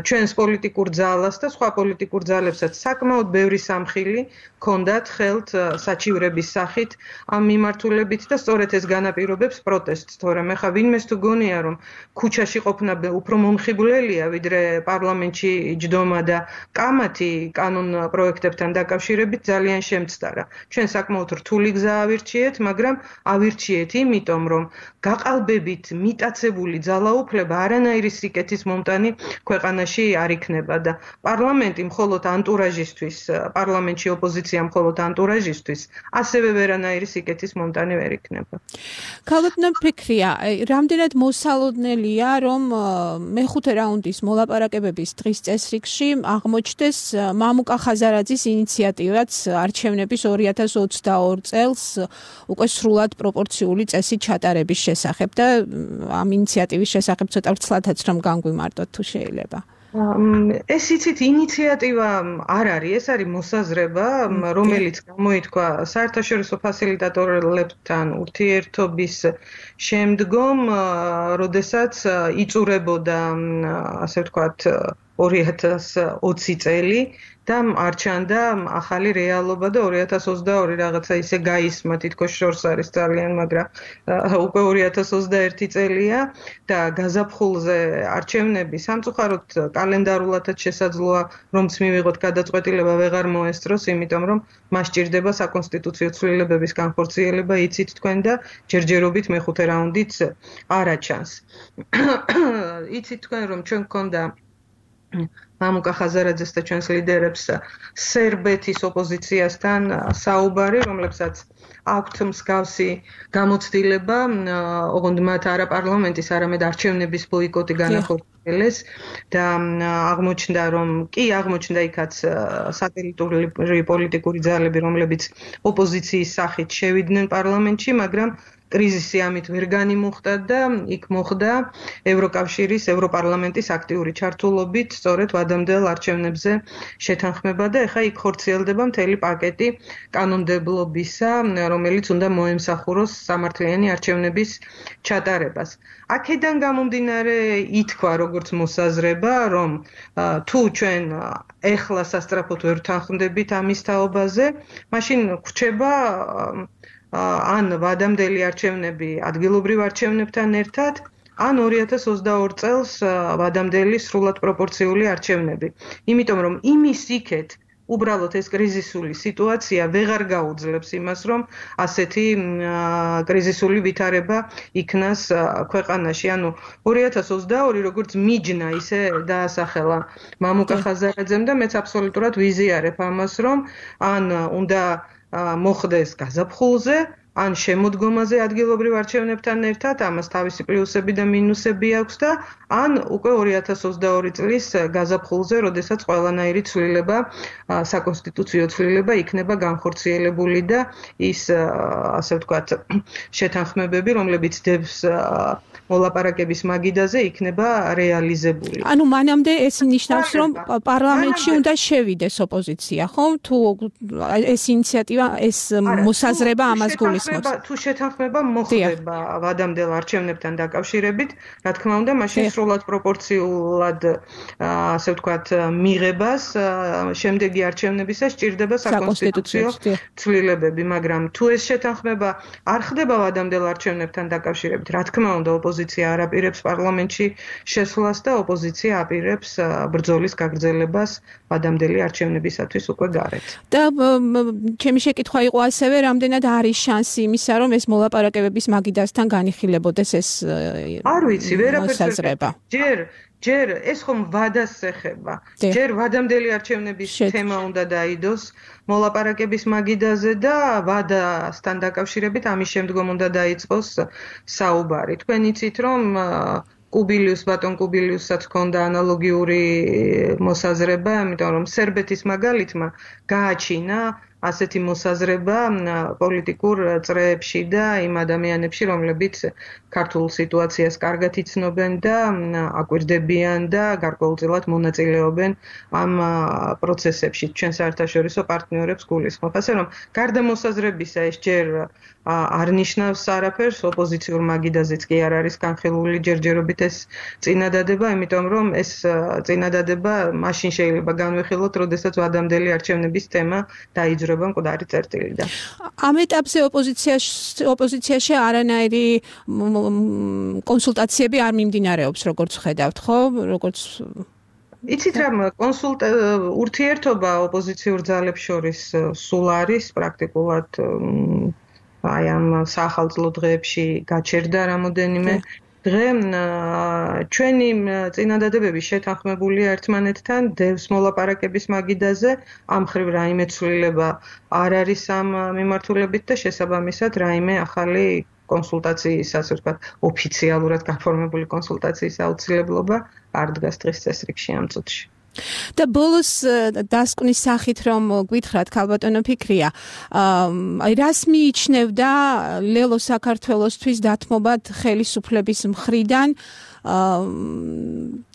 ჩვენს პოლიტიკურ ძალას და სხვა პოლიტიკურ ძალებსაც საკმაოდ ბევრი სამხილი ჰქონდათ ხელთ საჩივრების სახით ამ მიმართულებით და სწორედ ეს განაპირობებს პროტესტს თორემ ეხა ვინმეს თუ გონია რომ ქუჩაში ყოფნა უფრო მომხიბვლელია ვიდრე პარლამენტში ჯდომა და კამათი კანონ პროექტებთან დაკავშირებით ძალიან შემცდარა ჩვენ საკმაოდ რთული გზა ავირჩიეთ მაგრამ ავირჩიეთ იმიტომ რომ გაყალბებით მიტაცებული ძალაუფლება არანაირი სიკეთის მომტანი ქვეყანაში არ იქნება და პარლამენტი მხოლოდ ანტურაჟისთვის პარლამენტში ოპოზიცია მხოლოდ ანტურაჟისთვის ასევე ვერანაირი სიკეთის მომტანი ვერ იქნება
ქალბატონო ფიქრია რამდენად მოსალოდნელია რომ მეხუთე რაუნდის მოლაპარაკებების დღის წესრიგში აღმოჩნდეს მამუკა ხაზარაძის ინიციატივაც არჩევნების ორი ათას ოცდაორი წელს უკვე სრულად პროპორციული წესით ჩატარების შესახებ და ამ ინიციატივის შესახებ ცოტა ვრცლადაც რომ განგვიმარტოთ თუ შეიძლება
ეს იცით ინიციატივა არ არის ეს არის მოსაზრება რომელიც გამოითქვა საერთაშორისო ფასილიტატორებთან ურთიერთობის შემდგომ როდესაც იწურებოდა ასე ვთქვათ ორი ათას ოცი წელი და არჩანდა ახალი რეალობა და ორი ათას ოცდაორი რაღაცა ისე გაისმა თითქოს შორს არის ძალიან მაგრამ უკვე ორი ათას ოცდაერთი წელია და გაზაფხულზე არჩევნები სამწუხაროდ კალენდარულადაც შესაძლოა რომც მივიღოთ გადაწყვეტილება ვეღარ მოესწროს იმიტომ რომ მას ჭირდება საკონსტიტუციო ცვლილებების განხორციელება იცით თქვენ და ჯერჯერობით მეხუთე რაუნდიც არაჩანს იცით თქვენ რომ ჩვენ გქონდა მამუკა ხაზარაძეს და ჩვენს ლიდერებს სერბეთის ოპოზიციასთან საუბარი, რომლებსაც აქვთ მსგავსი გამოცდილება, ოღონდ მათ არა პარლამენტის, არამედ არჩევნების ბოიკოტი განახორციელეს და აღმოჩნდა, რომ კი აღმოჩნდა იქაც სატელიტური პოლიტიკური ძალები, რომლებიც ოპოზიციის სახით შევიდნენ პარლამენტში, მაგრამ კრიზისი ამით ვერ განიმუხტა და იქ მოხდა ევროკავშირის ევროპარლამენტის აქტიური ჩართულობით სწორედ ვადამდელ არჩევნებზე შეთანხმება და ეხა იქ ხორციელდება მთელი პაკეტი კანონმდებლობისა, რომელიც უნდა მოემსახუროს სამართლიანი არჩევნების ჩატარებას. აქედან გამომდინარე ითქვა როგორც მოსაზრება, რომ თუ ჩვენ ეხლა სასწრაფოდ ვერ ვთანხმდებით ამის თაობაზე, მაშინ გვრჩება ან ვადამდელი არჩევნები ადგილობრივ არჩევნებთან ერთად, ან ორი ათას ოცდაორი წელს ვადამდელი სრულად პროპორციული არჩევნები. იმიტომ რომ იმის იქეთ უბრალოდ ეს კრიზისული სიტუაცია ვეღარ გაუძლებს იმას, რომ ასეთი კრიზისული ვითარება იქნას ქვეყანაში. ანუ ორი ათას ოცდაორი როგორც მიჯნა ისე დაასახელა მამუკა ხაზარაძემ და მეც აბსოლუტურად ვიზიარებ ამას, რომ ან უნდა მოხდეს გაზაფხულზე, ან შემოდგომაზე ადგილობრივ არჩევნებთან ერთად, ამას თავისი პლუსები და მინუსები აქვს და ან უკვე ორი ათას ოცდაორი წლის გაზაფხულზე, როდესაც ყველანაირი ცვლილება, საკონსტიტუციო ცვლილება იქნება განხორციელებული და ის, ასე ვთქვათ, შეთანხმებები, რომლებიც დევს მოლაპარაკების მაგიდაზე იქნება რეალიზებული.
ანუ მანამდე ეს ნიშნავს, რომ პარლამენტში უნდა შევიდეს ოპოზიცია, ხო? თუ ეს ინიციატივა, ეს მოსაზრება ამას გულისხმობს.
თუ შეთანხმება მოხდება ვადამდელ არჩევნებთან დაკავშირებით, რა თქმა უნდა, მაშინ სრულად პროპორციულად, ასე ვთქვათ, მიღებას შემდეგი არჩევნებისას სჭირდება საკონსტიტუციო ცვლილებები, მაგრამ თუ ეს შეთანხმება არ ხდება ვადამდელ არჩევნებთან დაკავშირებით, რა თქმა უნდა, ოპოზიცია არ აპირებს პარლამენტში შესვლას და ოპოზიცია აპირებს ბრძოლის გაგრძელებას ვადამდელი არჩევნებისათვის უკვე გარეთ.
და ჩემი შეკითხვა იყო ასევე, რამდენად არის შანსი შანსი იმისა, რომ ეს მოლაპარაკებების მაგიდასთან განიხილებოდეს ეს
არ ვიცი, ვერაფერს
მოსაზრება.
ჯერ ჯერ ეს ხომ ვადას ეხება. ჯერ ვადამდელი არჩევნების თემა უნდა დაიდოს მოლაპარაკების მაგიდაზე და ვადასთან დაკავშირებით ამის შემდგომ უნდა დაიწყოს საუბარი. თქვენ იცით, რომ კუბილიუს ბატონ კუბილიუსაც ჰქონდა ანალოგიური მოსაზრება, იმიტომ რომ სერბეთის მაგალითმა გააჩინა ასეთი მოსაზრება პოლიტიკურ წრეებში და იმ ადამიანებში, რომლებიც ქართულ სიტუაციას კარგად იცნობენ და აკვირდებიან და გარკვეულწილად მონაწილეობენ ამ პროცესებში. ჩვენ საერთაშორისო პარტნიორებს გულისხმობ. ასე რომ გარდა მოსაზრებისა ეს ჯერ არ ნიშნავს არაფერს, ოპოზიციურ მაგიდაზეც კი არ არის განხილული ჯერჯერობით ეს წინადადება, იმიტომ რომ ეს წინადადება მაშინ შეიძლება განვიხილოთ, როდესაც ვადამდელი არჩევნების თემა დაიძრება მკვდარი წერტილიდან.
ამ ეტაპზე ოპოზიციაში ოპოზიციაში არანაირი კონსულტაციები არ მიმდინარეობს, როგორც ხედავთ, ხო? როგორც
იცით რა, კონსულტ ურთიერთობა ოპოზიციურ ძალებს შორის სულ არის პრაქტიკულად აი ამ საახალწლო დღეებში გაჩერდა რამოდენიმე დღე ჩვენი წინადადებები შეთანხმებულია ერთმანეთთან დევს მოლაპარაკების მაგიდაზე ამ მხრივ რაიმე ცვლილება არ არის ამ მიმართულებით და შესაბამისად რაიმე ახალი კონსულტაციის ასე ვთქვათ ოფიციალურად გაფორმებული კონსულტაციის აუცილებლობა არ დგას დღის წესრიგში ამ წუთში.
და ბოლოს დასკვნის სახით რომ გვითხრათ ქალბატონო ფიქრია, აი რას მიიჩნევდა ლელო საქართველოსთვის დათმობად ხელისუფლების მხრიდან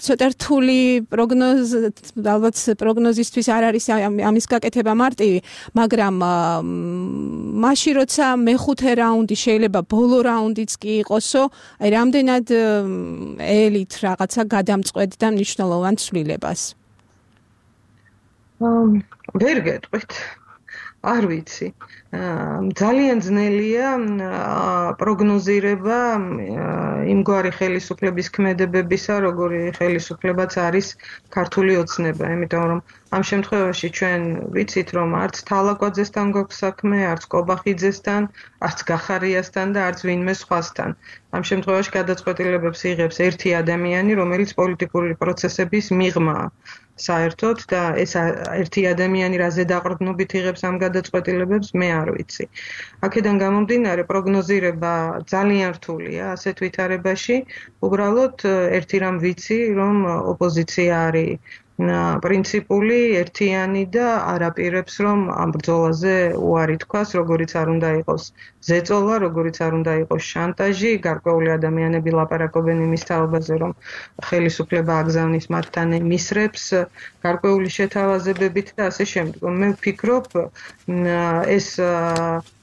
ცოტა რთული პროგნოზ ალბათ პროგნოზისთვის არ არის ამის გაკეთება მარტივი, მაგრამ მაშინ როცა მეხუთე რაუნდი შეიძლება ბოლო რაუნდიც კი იყოსო, აი რამდენად ელით რაღაცა გადამწყვეტდა მნიშვნელოვან ცვლილებას.
ვერ გეტყვით. არ ვიცი. ძალიან ძნელია პროგნოზირება იმგვარი ხელისუფლების ქმედებებისა, როგორი ხელისუფლებაც არის ქართული ოცნება, იმიტომ რომ ამ შემთხვევაში ჩვენ ვიცით, რომ არც თალაკვაძესთან გვაქვს საქმე, არც კობახიძესთან, არც გახარიასთან და არც ვინმე სხვასთან. ამ შემთხვევაში გადაწყვეტილებებს იღებს ერთი ადამიანი, რომელიც პოლიტიკური პროცესების მიღმაა. საერთოდ და ეს ერთი ადამიანი რაზე დაყრდნობით იღებს ამ გადაწყვეტილებებს მე არ ვიცი. აქედან გამომდინარე პროგნოზირება ძალიან რთულია ასეთ ვითარებაში. უბრალოდ ერთი რამ ვიცი, რომ ოპოზიცია არის პრინციპული, ერთიანი და არ აპირებს, რომ ამ ბრძოლაზე უარი თქვას, როგორიც არ უნდა იყოს ზეწოლა, როგორიც არ უნდა იყოს შანტაჟი, გარკვეული ადამიანები ლაპარაკობენ იმის თაობაზე, რომ ხელისუფლება აგზავნის მათთან მისრებს, გარკვეული შეთავაზებებით და ასე შემდგომ. მე ვფიქრობ, ეს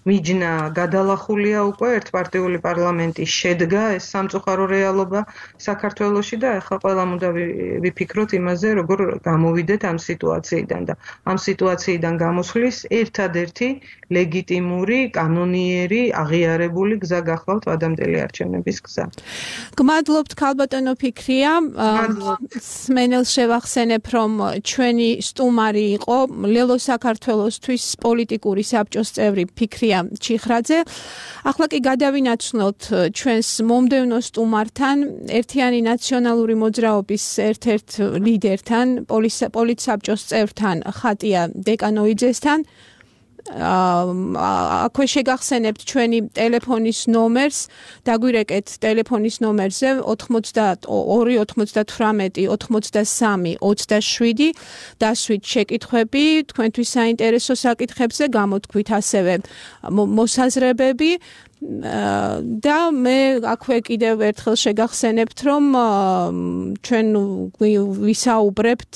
მიჯნა გადალახულია უკვე ერთპარტიული პარლამენტი შედგა ეს სამწუხარო რეალობა საქართველოში და ახლა ყველამ უნდა ვიფიქროთ იმაზე, როგორ გამოვიდეთ ამ სიტუაციიდან და ამ სიტუაციიდან გამოსვლის ერთადერთი ლეგიტიმური, კანონიერი, აღიარებული გზა გახლავთ ვადამდელი არჩევნების გზა.
გმადლობთ ქალბატონო ფიქრია. სმენელს შევახსენებ, რომ ჩვენი სტუმარი იყო ლელო საქართველოსთვის პოლიტიკური საბჭოს წევრი ფიქრია ჩიხრაძე. ახლა კი გადავინაცვლოთ ჩვენს მომდევნო სტუმართან, ერთიანი ნაციონალური მოძრაობის ერთ-ერთ ლიდერთან, პოლიტსაბჭოს წევრთან ხატია დეკანოიძესთან. აქვე შეგახსენებთ ჩვენი ტელეფონის ნომერს, დაგვირეკეთ ტელეფონის ნომერზე ოთხმოცდაორი ოცდათვრამეტი ოცდასამი ოცდაშვიდი დასვით შეკითხვები თქვენთვის საინტერესო საკითხებზე, გამოთქვით ასევე მოსაზრებები. და მე აქვე კიდევ ერთხელ შეგახსენებთ, რომ ჩვენ ვისაუბრებთ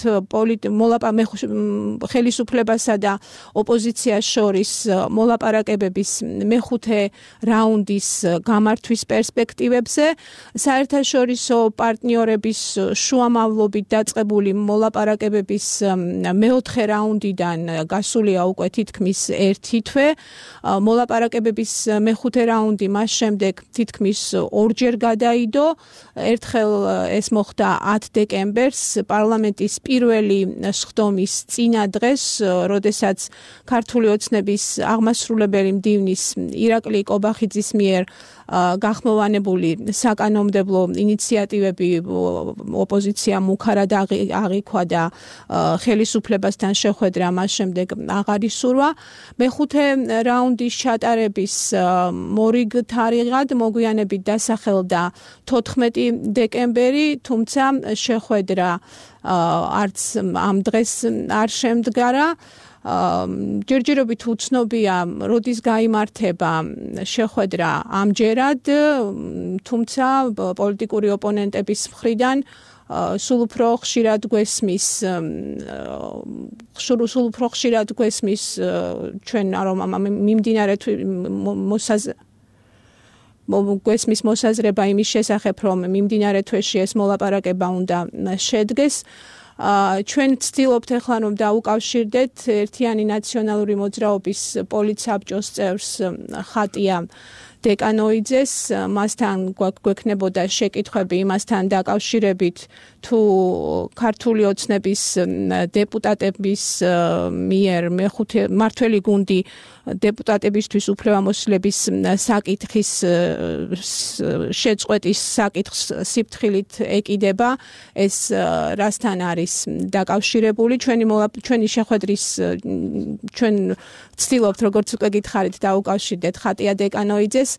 ხელისუფლებასა და ოპოზიციას შორის მოლაპარაკებების მეხუთე რაუნდის გამართვის პერსპექტივებზე. საერთაშორისო პარტნიორების შუამავლობით დაწყებული მოლაპარაკებების მეოთხე რაუნდიდან გასულია უკვე თითქმის ერთი თვე. მოლაპარაკებების მეხუთე რაუნდი მას შემდეგ თითქმის ორჯერ გადაიდო ერთხელ ეს მოხდა ათი დეკემბერს პარლამენტის პირველი სხდომის წინა დღეს, როდესაც ქართული ოცნების აღმასრულებელი მდივნის ირაკლი კობახიძის მიერ გახმოვანებული საკანონმდებლო ინიციატივები ოპოზიციამ უქარად აღიქვა და ხელისუფლებასთან შეხვედრა მას შემდეგ აღარ ისურვა. მეხუთე რაუნდის ჩატარების მორიგ თარიღად მოგვიანებით დასახელდა თოთხმეტი დეკემბერი, თუმცა შეხვედრა არც ამ დღეს არ შემდგარა. ჯერჯერობით უცნობია, როდის გაიმართება შეხვედრა ამჯერად, თუმცა პოლიტიკური ოპონენტების მხრიდან სულ უფრო ხშირად გვესმის სულ უფრო ხშირად გვესმის ჩვენ რომ მიმდინარე მოსაზრება გვესმის მოსაზრება იმის შესახებ, რომ მიმდინარე თვეში ეს მოლაპარაკება უნდა შედგეს. ჩვენ ვცდილობთ ახლა რომ დაუკავშირდეთ ერთიანი ნაციონალური მოძრაობის პოლიცაბჭოს წევრს ხატია დეკანოიძეს, მასთან გვექნებოდა შეკითხვები იმასთან დაკავშირებით, თუ ქართული ოცნების დეპუტატების მიერ მეხუთე მართველი გუნდი დეპუტატებისთვის უფლებამოსილების საკითხის შეწყვეტის საკითხს სიფრთხილით ეკიდება, ეს რასთან არის დაკავშირებული. ჩვენი ჩვენი შეხვედრის ჩვენ ვცდილობთ, როგორც უკვე გითხარით, დაუკავშირდეთ ხატია დეკანოიძეს.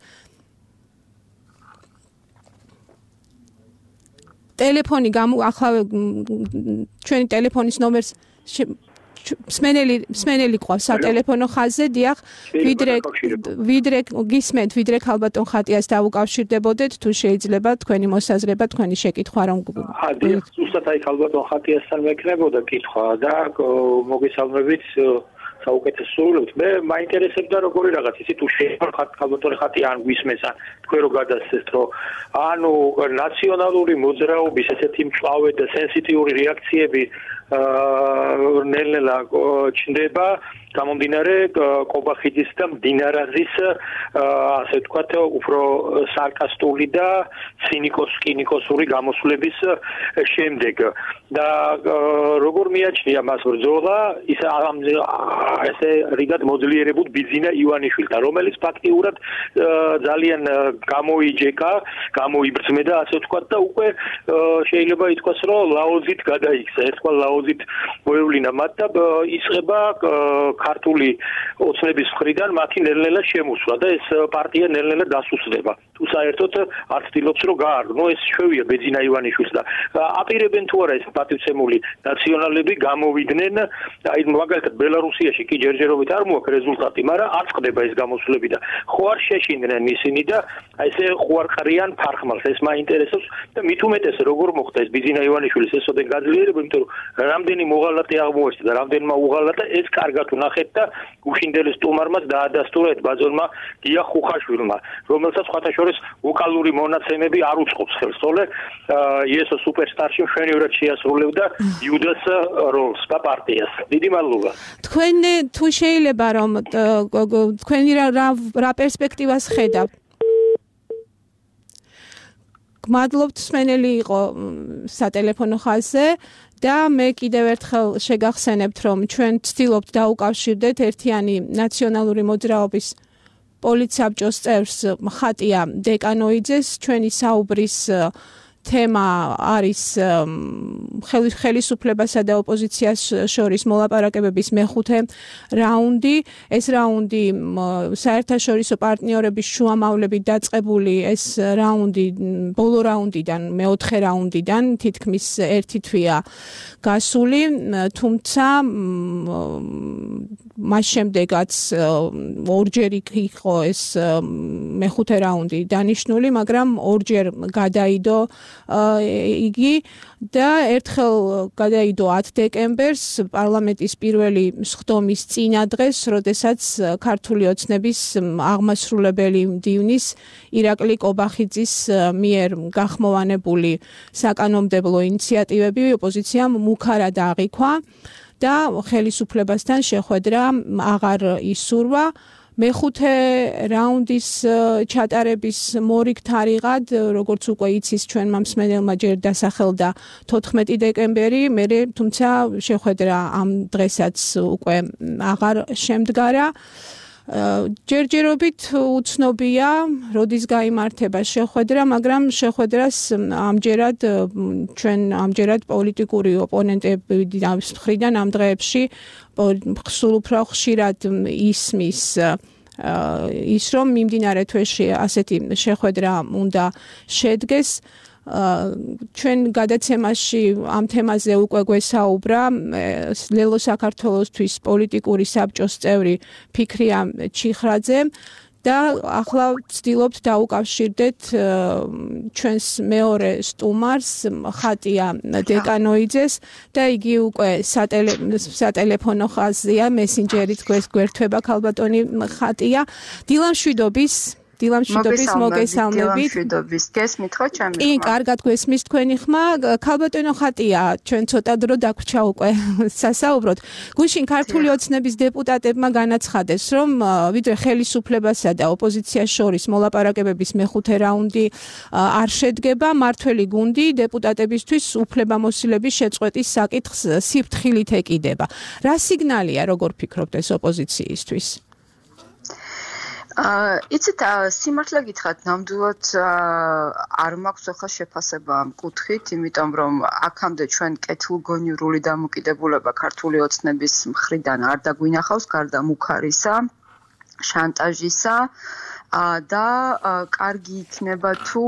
ტელეფონი ახლა ჩვენი ტელეფონის ნომერს მსმენელი მსმენელი ყავს სატელეფონო ხაზზე, დიახ, ვიდრე ვიდრე გისმენთ, ვიდრე ქალბატონ ხატიას დაუკავშირდებოდეთ, თუ შეიძლება თქვენი მოსაზრება, თქვენი შეკითხვა რომ
დიახ, ზუსტად აი ქალბატონ ხატიასთან მეკნებოდა კითხვა და მოგესალმებით საუკეთესო სრულობთ. მე მაინტერესებდა როგორი რაღაც ისი თუ შეიძლება ქალბატონი ხატია ან გვისმენს ან თქვენ რო გადასცეთ, რომ ანუ ნაციონალური მოძრაობის ესეთი მწვავე და სენსიტიური რეაქციები ნელ-ნელა ჩნდება გამომდინარე კობახიძის და მდინარაძის ასე ვთქვათ უფრო სარკასტული და ცინიკოს-კინიკოსური გამოსვლების შემდეგ და როგორ მიაჩნია მას ბრძოლა ის ესე რიგად მოძლიერებულ ბიძინა ივანიშვილთან, რომელიც ფაქტიურად ძალიან გამოიჯეკა, გამოიბრძმედა ასე ვთქვათ და უკვე შეიძლება ითქვას, რომ ლაოზით გადაიქცა, ერთგვარ ლაოზით მოევლინა მათ და ისყება ქართული ოცნების მხრიდან მათი ნელ-ნელა შემოსვლა და ეს პარტია ნელ-ნელა დასუსდება. თუ საერთოდ არ ცდილობს რომ გაარდნო, ეს შვევია ბეძინა ივანიშვილს და აპირებენ თუ არა ეს პატივცემული ნაციონალები გამოვიდნენ, აი მაგალითად ბელარუსიაში კი ჯერჯერობით არ მოაქვს რეზულტატი, მაგრამ არ წყდება ეს გამოსვლები და ხო არ შეშინდნენ ისინი და აი ესე ხო არ ყრიან ფარხმალს. ეს მაინტერესებს და მით უმეტეს როგორ მოხდა ეს ბეძინა ივანიშვილის ესოდენ გაძლიერება, იმიტომ რომ რამდენი მოღალატე აღმოჩნდა და რამდენმა უღალატა ეს კარგად ნახეთ და გუშინდელის სტუმარმაც დაადასტურა ბაზონმა გია ხუხაშვილმა, რომელსაც სხვათა შორის ვოკალური მონაცემები არ უწყობს ხელს, თორე იესო სუპერსტარში მშვენივრად შეასრულებდა იუდას როლს და პარტიას. დიდი მადლობა.
თქვენ თუ შეიძლება რომ თქვენი რა რა პერსპექტივას ხედავთ? გმადლობთ, მსმენელი იყო სატელეფონო ხაზზე. და მე კიდევ ერთხელ შეგახსენებთ, რომ ჩვენ ვცდილობთ დაუკავშირდეთ ერთიანი ნაციონალური მოძრაობის პოლიცაბჭოს წევრს ხატია დეკანოიძეს. ჩვენი საუბრის თემა არის ხელისუფლებასა და ოპოზიციას შორის მოლაპარაკებების მეხუთე რაუნდი. ეს რაუნდი საერთაშორისო პარტნიორების შუამავლებით დაწყებული, ეს რაუნდი ბოლო რაუნდიდან, მეოთხე რაუნდიდან თითქმის ერთი თვეა გასული, თუმცა მას შემდეგაც ორჯერ იყო ეს მეხუთე რაუნდი დანიშნული, მაგრამ ორჯერ გადაიდო იგი და ერთხელ გადაიდო ათი დეკემბერს პარლამენტის პირველი სხდომის წინა დღეს, როდესაც ქართული ოცნების აღმასრულებელი მდივნის ირაკლი კობახიძის მიერ გახმოვანებული საკანონმდებლო ინიციატივები ოპოზიციამ მუქარად აღიქვა და ხელისუფლებასთან შეხვედრა აღარ ისურვა. მეხუთე რაუნდის ჩატარების მორიგ თარიღად, როგორც უკვე იცის ჩვენმა მსმენელმა ჯერ დასახელდა თოთხმეტი დეკემბერი, მერე თუმცა შეხვედრა ამ დღესაც უკვე აღარ შემდგარა. ჯერჯერობით უცნობია, როდის გაიმართება შეხვედრა, მაგრამ შეხვედრას ამჯერად ჩვენ ამჯერად პოლიტიკური ოპონენტების მხრიდან ამ დღეებში სულ უფრო ხშირად ისმის ის რომ მიმდინარე თვეში ასეთი შეხვედრა უნდა შედგეს. ჩვენ გადაცემაში ამ თემაზე უკვე გვესაუბრა ლელო საქართველოსთვის პოლიტიკური საბჭოს წევრი ფიქრია ჩიხრაძე და ახლა ვცდილობთ დაუკავშირდეთ ჩვენს მეორე სტუმარს ხატია დეკანოიძეს და იგი უკვე სატელეფონო ხაზია მესენჯერით გვერდება ქალბატონი ხატია. დილამშვიდობის დილამშვიდობის მოგესალმებით.
დილამშვიდობის გესმით ხო ჩემი ხმა?
კი, კარგად გვესმის თქვენი ხმა. ქალბატონო ხატია, ჩვენ ცოტა დრო დაგვრჩა უკვე სასაუბროთ. გუშინ ქართული ოცნების დეპუტატებმა განაცხადეს, რომ ვიდრე ხელისუფლებასა და ოპოზიციას შორის მოლაპარაკებების მეხუთე რაუნდი არ შედგება, მართველი გუნდი დეპუტატებისთვის უფლებამოსილების შეწყვეტის საკითხს სიფრთხილით ეკიდება. რა სიგნალია, როგორ ფიქრობთ ეს ოპოზიციისთვის?
აა იცით სიმართლე გითხრათ, ნამდვილად არ მაქვს ახლა შეფასება ამ კუთხით, იმიტომ რომ აქამდე ჩვენ კეთილგონივრული დამოკიდებულება ქართული ოცნების მხრიდან არ დაგვინახავს, გარდა მუქარისა, შანტაჟისა და კარგი იქნება თუ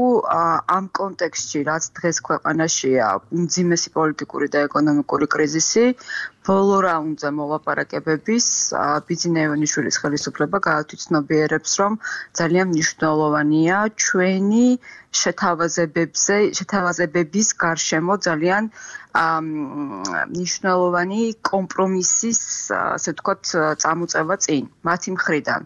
ამ კონტექსტში, რაც დღეს ქვეყანაშია უმძიმესი პოლიტიკური და ეკონომიკური კრიზისი, ბოლო რაუნდზე მოლაპარაკებების ბიძინა ივანიშვილის ხელისუფლება გაათვითცნობიერებს, რომ ძალიან მნიშვნელოვანია ჩვენი შეთავაზებებზე, შეთავაზებების გარშემო ძალიან მნიშვნელოვანი კომპრომისის, ასე ვთქვათ, წამოწევა წინ მათი მხრიდან.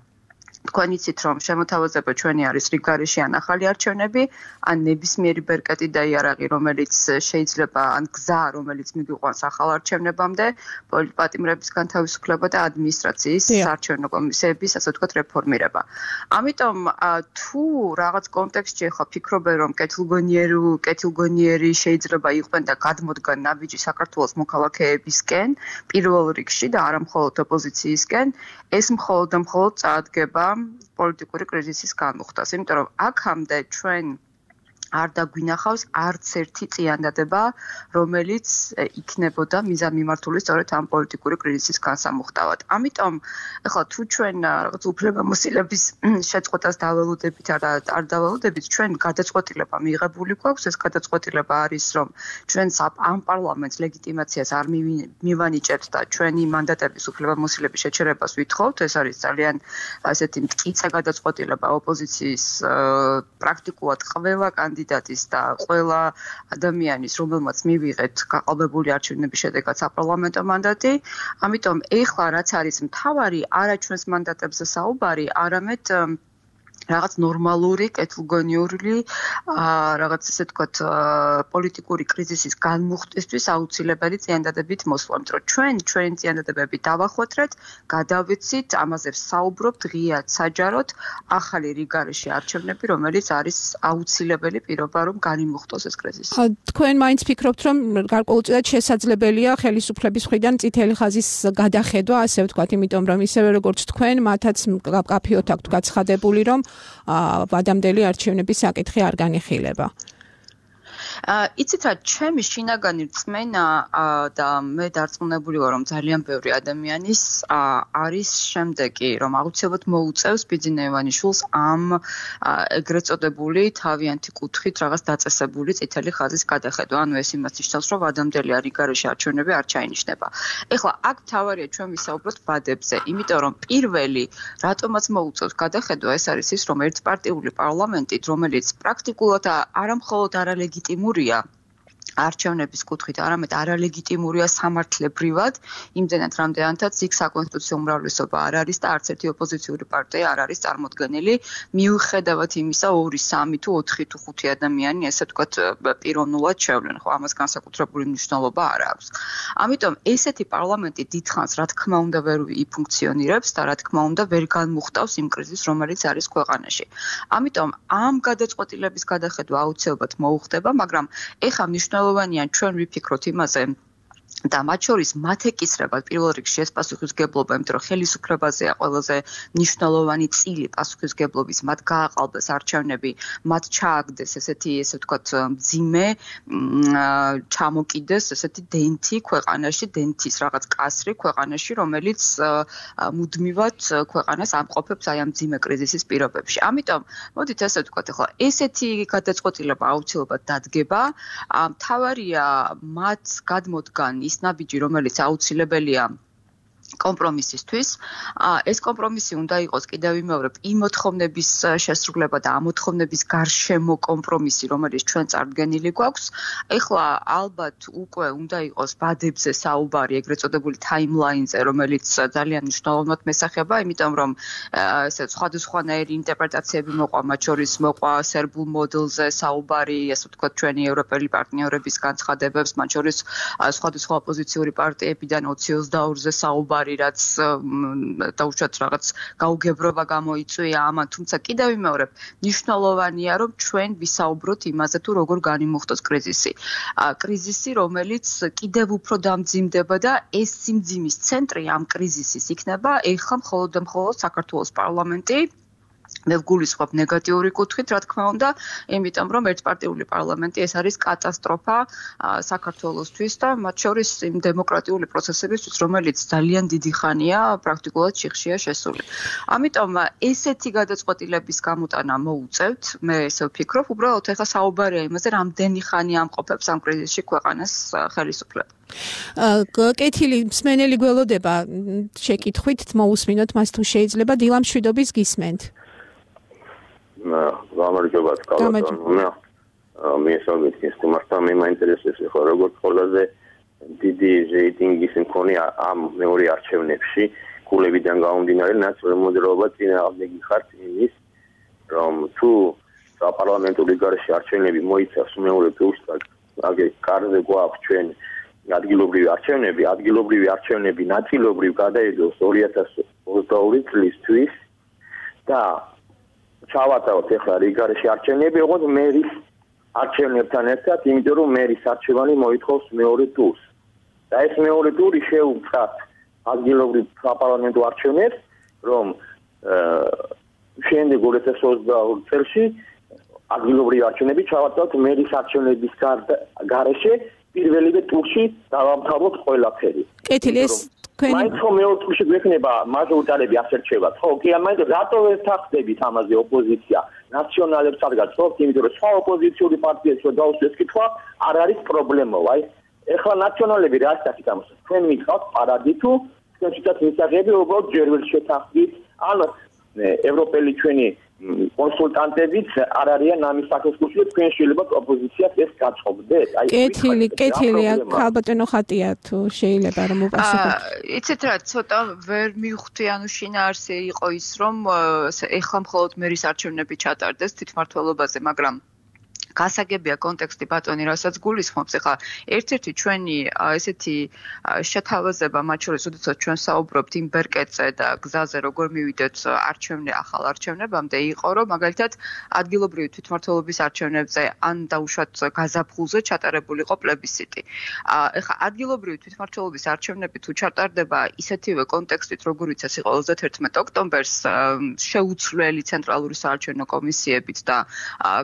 თქვენ იცით, რომ შემოთავაზება ჩვენი არის რიგგარეშე ან ახალი არჩევნები, ან ნებისმიერი ბერკეტი და იარაღი, რომელიც შეიძლება, ან გზა, რომელიც მიგიყვანს ახალ არჩევნებამდე, პოლიტპატიმრების განთავისუფლება და ადმინისტრაციის საარჩევნო კომისიების, ასე ვთქვათ, რეფორმირება. ამიტომ თუ რაღაც კონტექსტში ახლა ფიქრობენ, რომ კეთილგონიერი, კეთილგონიერი შეიძლება იყვნენ და გადმოდგან ნაბიჯი საქართველოს მოქალაქეებისკენ, პირველ რიგში და არა მხოლოდ ოპოზიციისკენ, ეს მხოლოდ და მხოლოდ წაადგება პოლიტიკური კრიზისის განმუხტას, იმიტომ რომ აქამდე ჩვენ არ დაგვინახავს არც ერთი წიანდადება, რომელიც იქნებოდა მიზანმიმართული სწორედ ამ პოლიტიკური კრიზისის განსამუხტავად. ამიტომ ახლა თუ ჩვენ რაღაც უფლებამოსილების შეწყვეტას დაველოდებით არ დაველოდებით, ჩვენ გადაწყვეტილება მიღებული გვაქვს, ეს გადაწყვეტილება არის, რომ ჩვენ ამ პარლამენტს ლეგიტიმაციას არ მივანიჭებთ და ჩვენი მანდატების უფლებამოსილების შეჩერებას ვითხოვთ, ეს არის ძალიან ასეთი მტკიცე გადაწყვეტილება ოპოზიციის პრაქტიკულად ყველა კანდიდატის და ყველა ადამიანის, რომელმაც მივიღეთ გაყალბებული არჩევნების შედეგად საპარლამენტო მანდატი. ამიტომ ეხლა რაც არის მთავარი, არა ჩვენს მანდატებზე საუბარი, არამედ რაღაც ნორმალური, კეთილგონიური, რაღაც ესე ვთქვათ, პოლიტიკური კრიზისის განმუხტვისთვის აუცილებელი წიანდადებით მოსვლა. რომ ჩვენ ჩვენი წიანდადებები დავახვეთრეთ, გადავიცით, ამაზე ვსაუბრობთ ღიად, საჯაროდ, ახალი რიგგარეშე არჩევნები, რომელიც არის აუცილებელი პირობა, რომ განიმუხტოს ეს კრიზისი.
თქვენ მაინც ფიქრობთ, რომ გარკვეულწილად შესაძლებელია ხელისუფლების მხრიდან წითელი ხაზის გადახედვა, ასე ვთქვათ, იმიტომ რომ ისევე როგორც თქვენ, მათაც კაფეოთ აქვთ გაცხადებული, რომ ვადამდელი არჩევნების საკითხი არ განიხილება.
იცით რა, ჩემი შინაგანი რწმენა და მე დარწმუნებული ვარ, რომ ძალიან ბევრი ადამიანის არის შემდეგი, რომ აუცილებლად მოუწევს ბიძინა ივანიშვილს ამ ეგრეთ წოდებული თავიანთი კუთხით რაღაც დაწესებული წითელი ხაზის გადახედვა. ანუ ეს იმას ნიშნავს, რომ ვადამდელი რიგგარეშე არჩევნები არ ჩაინიშნება. ეხლა აქ თავარია ჩვენ ვისაუბროთ ვადებზე, იმიტომ რომ პირველი რატომაც მოუწევს გადახედვა, ეს არის ის, რომ ერთპარტიული პარლამენტით, რომელიც პრაქტიკულად არა მხოლოდ არალეგიტიმურია, არჩევნების კუთხით, არამედ არალეგიტიმურია სამართლებრივად, იმდენად რამდენადაც იქ საკონსტიტუციო უმრავლესობა არ არის და არც ერთი ოპოზიციური პარტია არ არის წარმოდგენილი, მიუხედავად იმისა, ორი, სამი თუ ოთხი თუ ხუთი ადამიანი, ესე ვთქვათ, პიროვნულად შევლენ, ხო, ამას განსაკუთრებული მნიშვნელობა არ აქვს. ამიტომ ესეთი პარლამენტი დიდხანს, რა თქმა უნდა, ვერ იფუნქციონირებს და რა თქმა უნდა, ვერ განმუხტავს იმ კრიზისს, რომელიც არის ქვეყანაში. ამიტომ ამ გადაწყვეტილების გადახედვა აუცილებლად მოუხდება, მაგრამ ეხა მნიშვნელოვანია ჩვენ ვიფიქროთ იმაზე და მათ შორის მათ ეკისრება პირველ რიგში ეს პასუხისმგებლობა, იმიტომ რომ ხელისუფლებაზეა ყველაზე მნიშვნელოვანი წილი პასუხისმგებლობის, მათ გააყალბეს არჩევნები, მათ ჩააგდეს ესეთი, ესე ვთქვათ, მძიმე, ჩამოკიდეს ესეთი დენთი ქვეყანაში, დენთის რაღაც კასრი ქვეყანაში, რომელიც მუდმივად ქვეყანას ამყოფებს აი ამ მძიმე კრიზისის პირობებში. ამიტომ, მოდით ესე ვთქვათ, ახლა ესეთი გადაწყვეტილება აუცილებლად დადგება, მთავარია მათ გადმოდგან ის ნაბიჯი, რომელიც აუცილებელია კომპრომისისთვის. ეს კომპრომისი უნდა იყოს კიდევ ვიმეორებ იმ მოთხოვნების შესრულება და ამ მოთხოვნების გარშემო კომპრომისი, რომელიც ჩვენ წარდგენილი გვაქვს. ეხლა ალბათ უკვე უნდა იყოს ბადებზე საუბარი, ეგრეთ წოდებული timeline-ზე, რომელიც ძალიან მნიშვნელოვნად მესახება, იმიტომ რომ ესე სხვადასხვანაირი ინტერპრეტაციები მოყვა, მათ შორის მოყვა სერბულ მოდელზე საუბარი, ასე ვთქვათ, ჩვენი ევროპელი პარტნიორების განცხადებებს, მათ შორის სხვადასხვა ოპოზიციური პარტიებიდან ოცი ოცდაორზე საუბარი, რაც დაუშვათ რაღაც გაუგებრობა გამოიწვია ამან, თუმცა კიდევ ვიმეორებ, მნიშვნელოვანია, რომ ჩვენ ვისაუბროთ იმაზე, თუ როგორ განიმუხტოს კრიზისი. კრიზისი, რომელიც კიდევ უფრო დამძიმდება და ეს სიმძიმის ცენტრი ამ კრიზისის იქნება ეხლა მხოლოდ და მხოლოდ საქართველოს პარლამენტი. მე ვგულისხმობ ნეგატიური კუთხით, რა თქმა უნდა, იმიტომ რომ ერთპარტიული პარლამენტი ეს არის კატასტროფა საქართველოსთვის და მათ შორის იმ დემოკრატიული პროცესებისთვის, რომელიც ძალიან დიდი ხანია პრაქტიკულად შიხშია შესული. ამიტომ ესეთი გადაწყვეტილების გამოტანა მოუწევთ, მე ესე ვფიქრობ, უბრალოდ ეხლა საუბარია იმაზე, რამდენი ხანი ამყოფებს ამ კრიზისში ქვეყანას ხელისუფლება.
კეთილი მსმენელი გველოდება შეკითხვით მოусმინოთ მას თუ შეიძლება დილამ შვიდობის გისმენთ.
გამარჯობა კალათონია. მე საგეთ ის თუმცა მე მაინტერესებს ხო როგორც ყველაზე დიდი რეიტინგის მქონე ამ მეორე არჩევნებში კულებიდან გამომდინარე ნაციონალური მოძრაობა წინააღმდეგი ხართ იმის რომ თუ საპარლამენტო გარშე არჩევნები მოიცავს მეორე ტურს და აგერ კარზე გვაქვს ჩვენ ადგილობრივი არჩევნები, ადგილობრივი არჩევნები ნაწილობრივ გადაიდოს ორი ათას ოცდაორი წლისთვის და ჩავატაროთ ახლა რიგარეში არჩევნები, ოღონდ მერის არჩევნებთან ერთად, იმიტომ რომ მერის არჩევანი მოითხოვს მეორე ტურს. და ეს მეორე ტური შეუწყათ ადგილობრივ საპარლამენტო არჩევნებს, რომ შემდეგ ორი ათას ოცდაორი წელს ადგილობრივი არჩევნები ჩავატაროთ მერის არჩევნების გარეშე პირველივე ტურში დავამთავროთ ყველაფერი.
კეთილი ეს თქვენი
მაინც რომ მეორე ტურში გვექნება მაჟორიტარები ასერჩევათ. ხო, კი ამაინც რატო ვერ თანხდებით ამაზე ოპოზიცია ნაციონალებს ადგას, ხო, იმიტომ რომ სხვა ოპოზიციური პარტიებს რო დაუსვეს კითხვა, არ არის პრობლემა, აი. ეხლა ნაციონალები რა ასაკით ამას? თქვენ მითხავთ პარადი თუ თქვენ შედათ მისაღები უბრალოდ ჯერ ვერ შეთანხმდით, ან ევროპელი ჩვენი კონსულტანტებიც არ არიან ამის საკითხში, თქვენ შეიძლება ოპოზიციას ეს გაწყობდეთ.
აი კეთილი, კეთილი, ხალბატონო ხატია თუ შეიძლება რომ უპასუხოთ.
იცით რა, ცოტა ვერ მივხვდი, ანუ შინაარსი იყო ის, რომ ეხლა მხოლოდ მერის არჩევნები ჩატარდეს თვითმმართველობაზე, მაგრამ გასაგებია კონტექსტი ბატონი, რასაც გულისხმობს, ახლა ერთ-ერთი ჩვენი ესეთი შეთავაზება, მათ შორის, როდესაც ჩვენ საუბრობთ იმ ბერკეტზე და გზაზე, როგორ მივიდეთ არჩევნე ახალ არჩევნებამდე, იყო, რომ მაგალითად ადგილობრივი თვითმმართველობის არჩევნებზე ან დაუშვათ გაზაფხულზე ჩატარებულიყო პლებისციტი. ახლა ადგილობრივი თვითმმართველობის არჩევნები თუ ჩატარდება ისეთივე კონტექსტით, როგორიც ეს იყო ოცდათერთმეტ ოქტომბერს შეუცვლელი ცენტრალური საარჩევნო კომისიებით და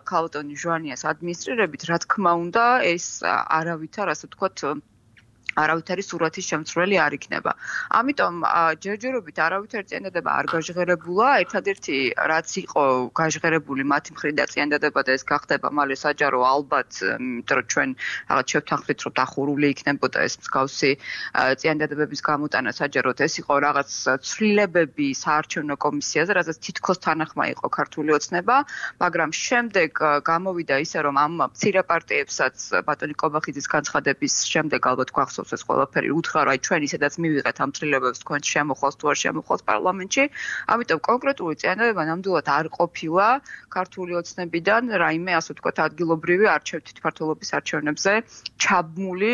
ქალბატონი ჟვანიას ადმინისტრირებით, რა თქმა უნდა, ეს არავითარ, ასე ვთქვათ, არავითარი სურათის შემცვლელი არ იქნება. ამიტომ ჯერჯერობით არავითარი წინადადება არ გაჟღერებულა, ერთადერთი რაც იყო გაჟღერებული მათი მხრიდან წინადადება და ეს გახდება მალე საჯარო ალბათ, იმიტომ რომ ჩვენ რაღაც შევთანხმდით, რომ დახურული იქნებოდა ეს მსგავსი წინადადებების გამოტანა საჯაროდ, ეს იყო რაღაც ცვლილებები საარჩევნო კომისიაზე, რასაც თითქოს თანახმა იყო ქართული ოცნება, მაგრამ შემდეგ გამოვიდა ისე, რომ ამ მცირე პარტიებსაც ბატონი კობახიძის განცხადების შემდეგ ალბათ გვახსოვს ეს ყველაფერი უთხრა, რომ აი ჩვენ ისედაც მივიღეთ ამ ცვლილებებს თქვენ შემოხვალთ თუ არ შემოხვალთ პარლამენტში. ამიტომ კონკრეტული წინადადება ნამდვილად არ ყოფილა ქართული ოცნებიდან რაიმე ასე ვთქვათ ადგილობრივი თვითმმართველობის არჩევნებზე ჩაბმული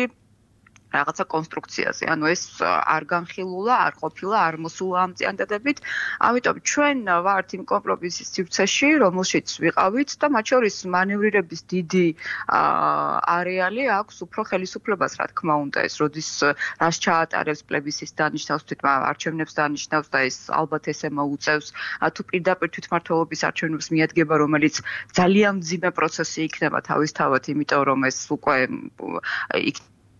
რაღაცა კონსტრუქციაზე. ანუ ეს არ განხილულა, არ ყოფილა, არ მოსულა ამ წინადადებით. ამიტომ ჩვენ ვართ იმ კომპრომისის სივრცეში, რომელშიც ვიყავით და მათ შორის მანევრირების დიდი არეალი აქვს უფრო ხელისუფლებას, რა თქმა უნდა, ეს როდის რას ჩაატარებს პლებისის დანიშნავს, არჩევნებს დანიშნავს და ეს ალბათ ესე მოუწევს, თუ პირდაპირ თვითმმართველობის არჩევნებს მიადგება, რომელიც ძალიან მძიმე პროცესი იქნება თავისთავად, იმიტომ რომ ეს უკვე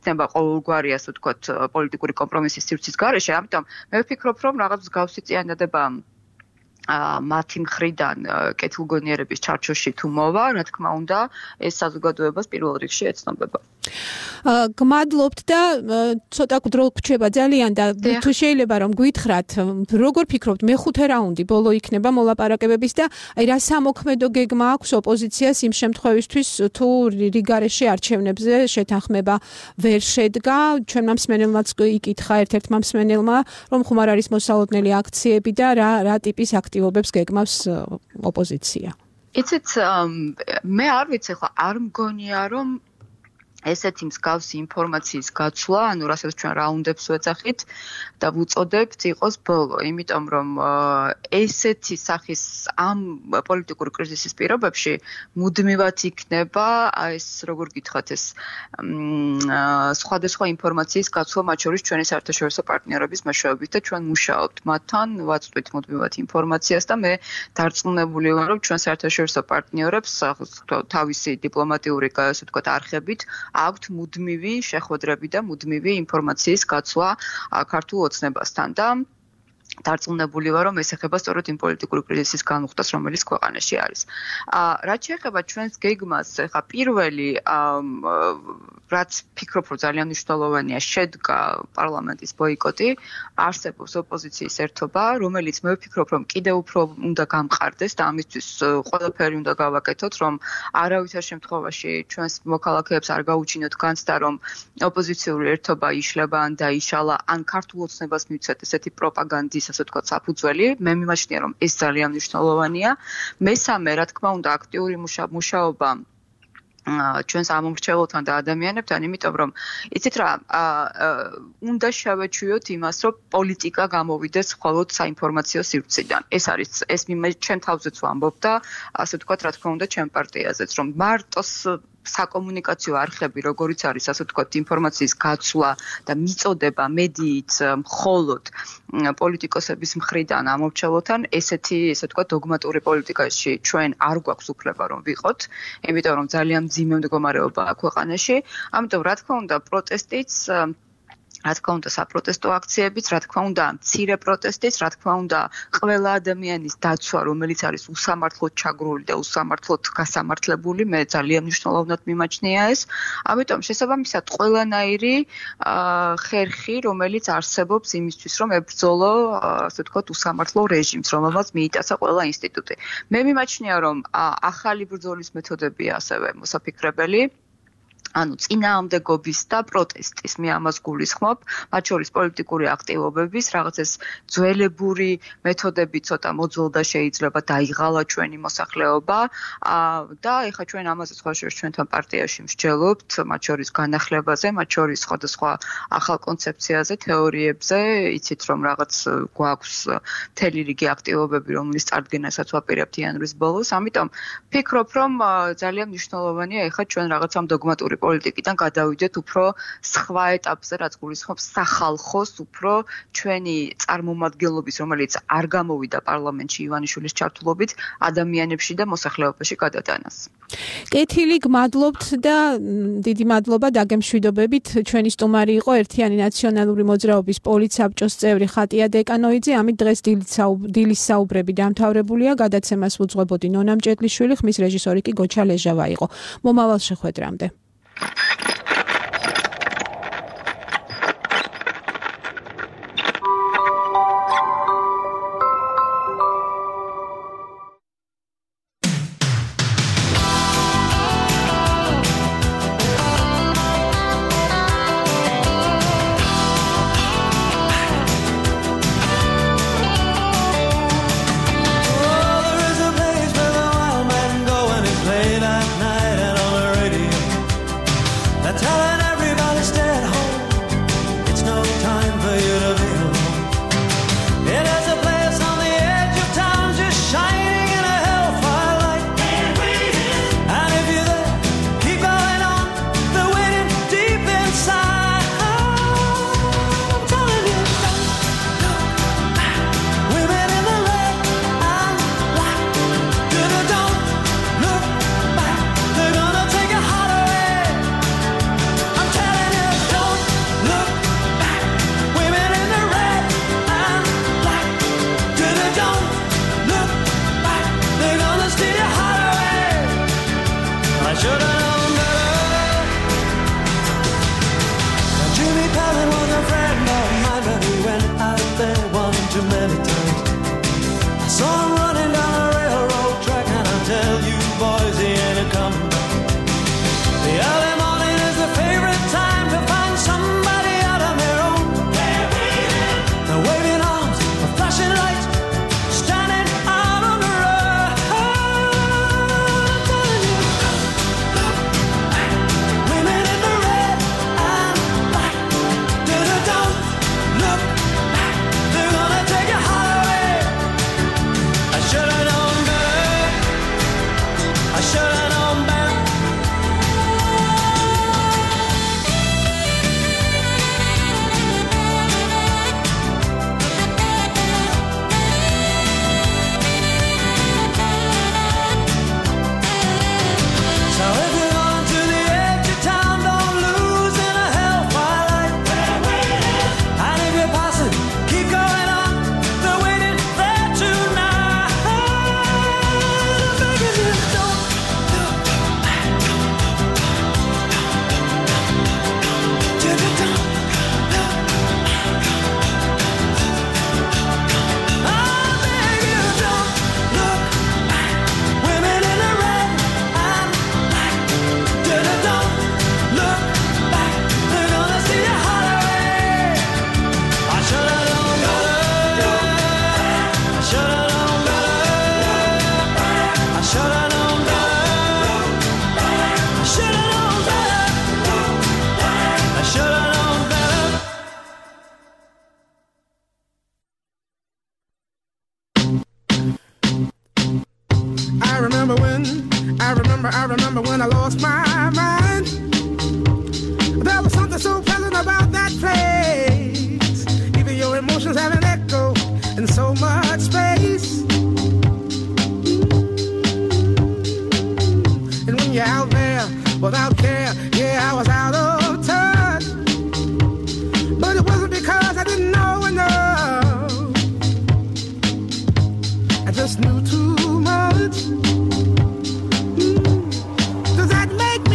იქნება ყოველგვარი, ასე ვთქვათ, პოლიტიკური კომპრომისის სივრცის გარეშე, ამიტომ მე ვფიქრობ, რომ რაღაც მსგავსი წინადადება მათი მხრიდან კეთილგონიერების ჩარჩოში თუ მოვა, რა თქმა უნდა, ეს საზოგადოებას პირველ რიგში ეცნობება.
გმადლობთ და ცოტა დრო გვჩება ძალიან და თუ შეიძლება რომ გითხრათ, როგორ ფიქრობთ, მეხუთე რაუნდი ბოლო იქნება მოლაპარაკებების და აი რა სამოქმედო გეგმა აქვს ოპოზიციას იმ შემთხვევისთვის, თუ რიგარეშე არჩევნებზე შეთანხმება ვერ შედგა, ჩვენმა მსმენელმაც იკითხა ერთ-ერთმა მსმენელმა, რომ ხუმარ არის მოსალოდნელი აქციები და რა რა ტიპის აქტივობებს გეგმავს ოპოზიცია.
იცით, მე არ ვიცი, ხო, არ მგონია, რომ ესეთი მსგავსი ინფორმაციის გაცვლა, ანუ რასაც ჩვენ რაუნდებს ვეძახით და ვუწოდებთ, იყოს ბოლო, იმიტომ რომ ესეთი სახის ამ პოლიტიკური კრიზისის პირობებში მუდმივად იქნება ეს, როგორ გითხრათ, ეს სხვადასხვა ინფორმაციის გაცვლა, მათ შორის ჩვენი საერთაშორისო პარტნიორების მეშვეობით და ჩვენ მუშაობთ მათთან, ვაწვდით მუდმივად ინფორმაციას და მე დარწმუნებული ვარ, რომ ჩვენ საერთაშორისო პარტნიორებს თავისი დიპლომატიური, ასე ვთქვათ, არხებით აქვთ მუდმივი შეხვედრები და მუდმივი ინფორმაციის გაცვლა ქართულ ოცნებასთან და დარწმუნებული ვარ, რომ ეს ეხება სწორედ იმ პოლიტიკური კრიზისის განუხტას, რომელიც ქვეყანაში არის. რაც შეეხება ჩვენს გეგმას, ხა პირველი რაც ფიქრობ, რომ ძალიან მნიშვნელოვანია, შედგა პარლამენტის ბოიკოტი, არსებობს ოპოზიციის ერთობა, რომელიც მე ვფიქრობ, რომ კიდევ უფრო უნდა გამყარდეს და ამისთვის ყველაფერი უნდა გავაკეთოთ, რომ არავითარ შემთხვევაში ჩვენს მოქალაქეებს არ გაუჩინოთ განცდა, რომ ოპოზიციური ერთობა იშლება ან დაიშალა, ან ქართულ ოცნებას მივცეთ ესეთი პროპაგანდის, ასე ვთქვათ, საფუძველი. მე მიმაჩნია, რომ ეს ძალიან მნიშვნელოვანია. მესამე, რა თქმა უნდა, აქტიური მუშაობა ჩვენს ამომრჩეველთან და ადამიანებთან, იმიტომ რომ იცით რა, უნდა შევეჩვიოთ იმას, რომ პოლიტიკა გამოვიდეს მხოლოდ საინფორმაციო სივრციდან. ეს არის ეს ჩვენ თავზეც ვამბობ და ასე ვთქვათ, რა თქმა უნდა, ჩვენ პარტიაზეც, რომ მარტოს საკომუნიკაციო არხები, როგორიც არის, ასე ვთქვათ, ინფორმაციის გაცვლა და მიწოდება მედიით მხოლოდ პოლიტიკოსების მხრიდან ამორჩევლოთან, ესეთი, ესე ვთქვათ, დოგმატური პოლიტიკაში ჩვენ არ გვაქვს უფლება რომ ვიყოთ, იმიტომ რომ ძალიან მძიმე მდგომარეობაა ქვეყანაში. ამიტომ რა თქმა უნდა, პროტესტიც რა თქმა უნდა, საპროტესტო აქციებიც, რა თქმა უნდა, მცირე პროტესტიც, რა თქმა უნდა, ყველა ადამიანის დაცვა, რომელიც არის უსამართლოდ ჩაგრული და უსამართლოდ გასამართლებული, მე ძალიან მნიშვნელოვნად მიმაჩნია ეს. ამიტომ შესაბამისად ყველანაირი ხერხი, რომელიც არსებობს იმისთვის, რომ ებრძოლო, ასე ვთქვათ, უსამართლო რეჟიმს, რომელმაც მიიტაცა ყველა ინსტიტუტი. მე მიმაჩნია, რომ ახალი ბრძოლის მეთოდებია ასევე მოსაფიქრებელი. ანუ წინააღმდეგობის და პროტესტის, მე ამას გულისხმობ, მათ შორის პოლიტიკური აქტივობების, რაღაც ეს ძველებური მეთოდები ცოტა მოძველდა შეიძლება დაიღალა ჩვენი მოსახლეობა და ეხლა ჩვენ ამაზე სხვა შორის ჩვენთან პარტიაში მსჯელობთ, მათ შორის განახლებაზე, მათ შორის სხვადასხვა ახალ კონცეფციაზე, თეორიებზე, იცით რომ რაღაც გვაქვს მთელი რიგი აქტივობები, რომლის წარდგენასაც ვაპირებთ იანვრის ბოლოს, ამიტომ ფიქრობ, რომ ძალიან მნიშვნელოვანია ეხლა ჩვენ რაღაც ამ დოგმატური პარტიული პოლიტიკიდან გადავიდეთ უფრო სხვა ეტაპზე, რაც გულისხმობს სახალხოს უფრო ჩვენი წარმომადგენლობის, რომელიც არ გამოვიდა პარლამენტში ივანიშვილის ჩართულობით, ადამიანებში და მოსახლეობაში გადატანას.
კეთილი, გმადლობთ და დიდი მადლობა დაგემშვიდობებით. ჩვენი სტუმარი იყო ერთიანი ნაციონალური მოძრაობის პოლიცსაბჭოს წევრი ხატია დეკანოიძე. ამით დღეს დილის საუბრები დამთავრებულია. გადაცემას უძღვებოდი ნონა მჭედლიშვილი, ხმის რეჟისორი კი გოჩა ლეჟავა იყო. მომავალ შეხვედრამდე.
I remember when I lost my mind. There was something so pleasant about that place. Even your emotions have an echo in so much space. And when you're out there without care, yeah, I was out of touch. But it wasn't because I didn't know enough. I just knew too much. Mm. Does that make me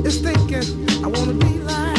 is thinking I wanna be like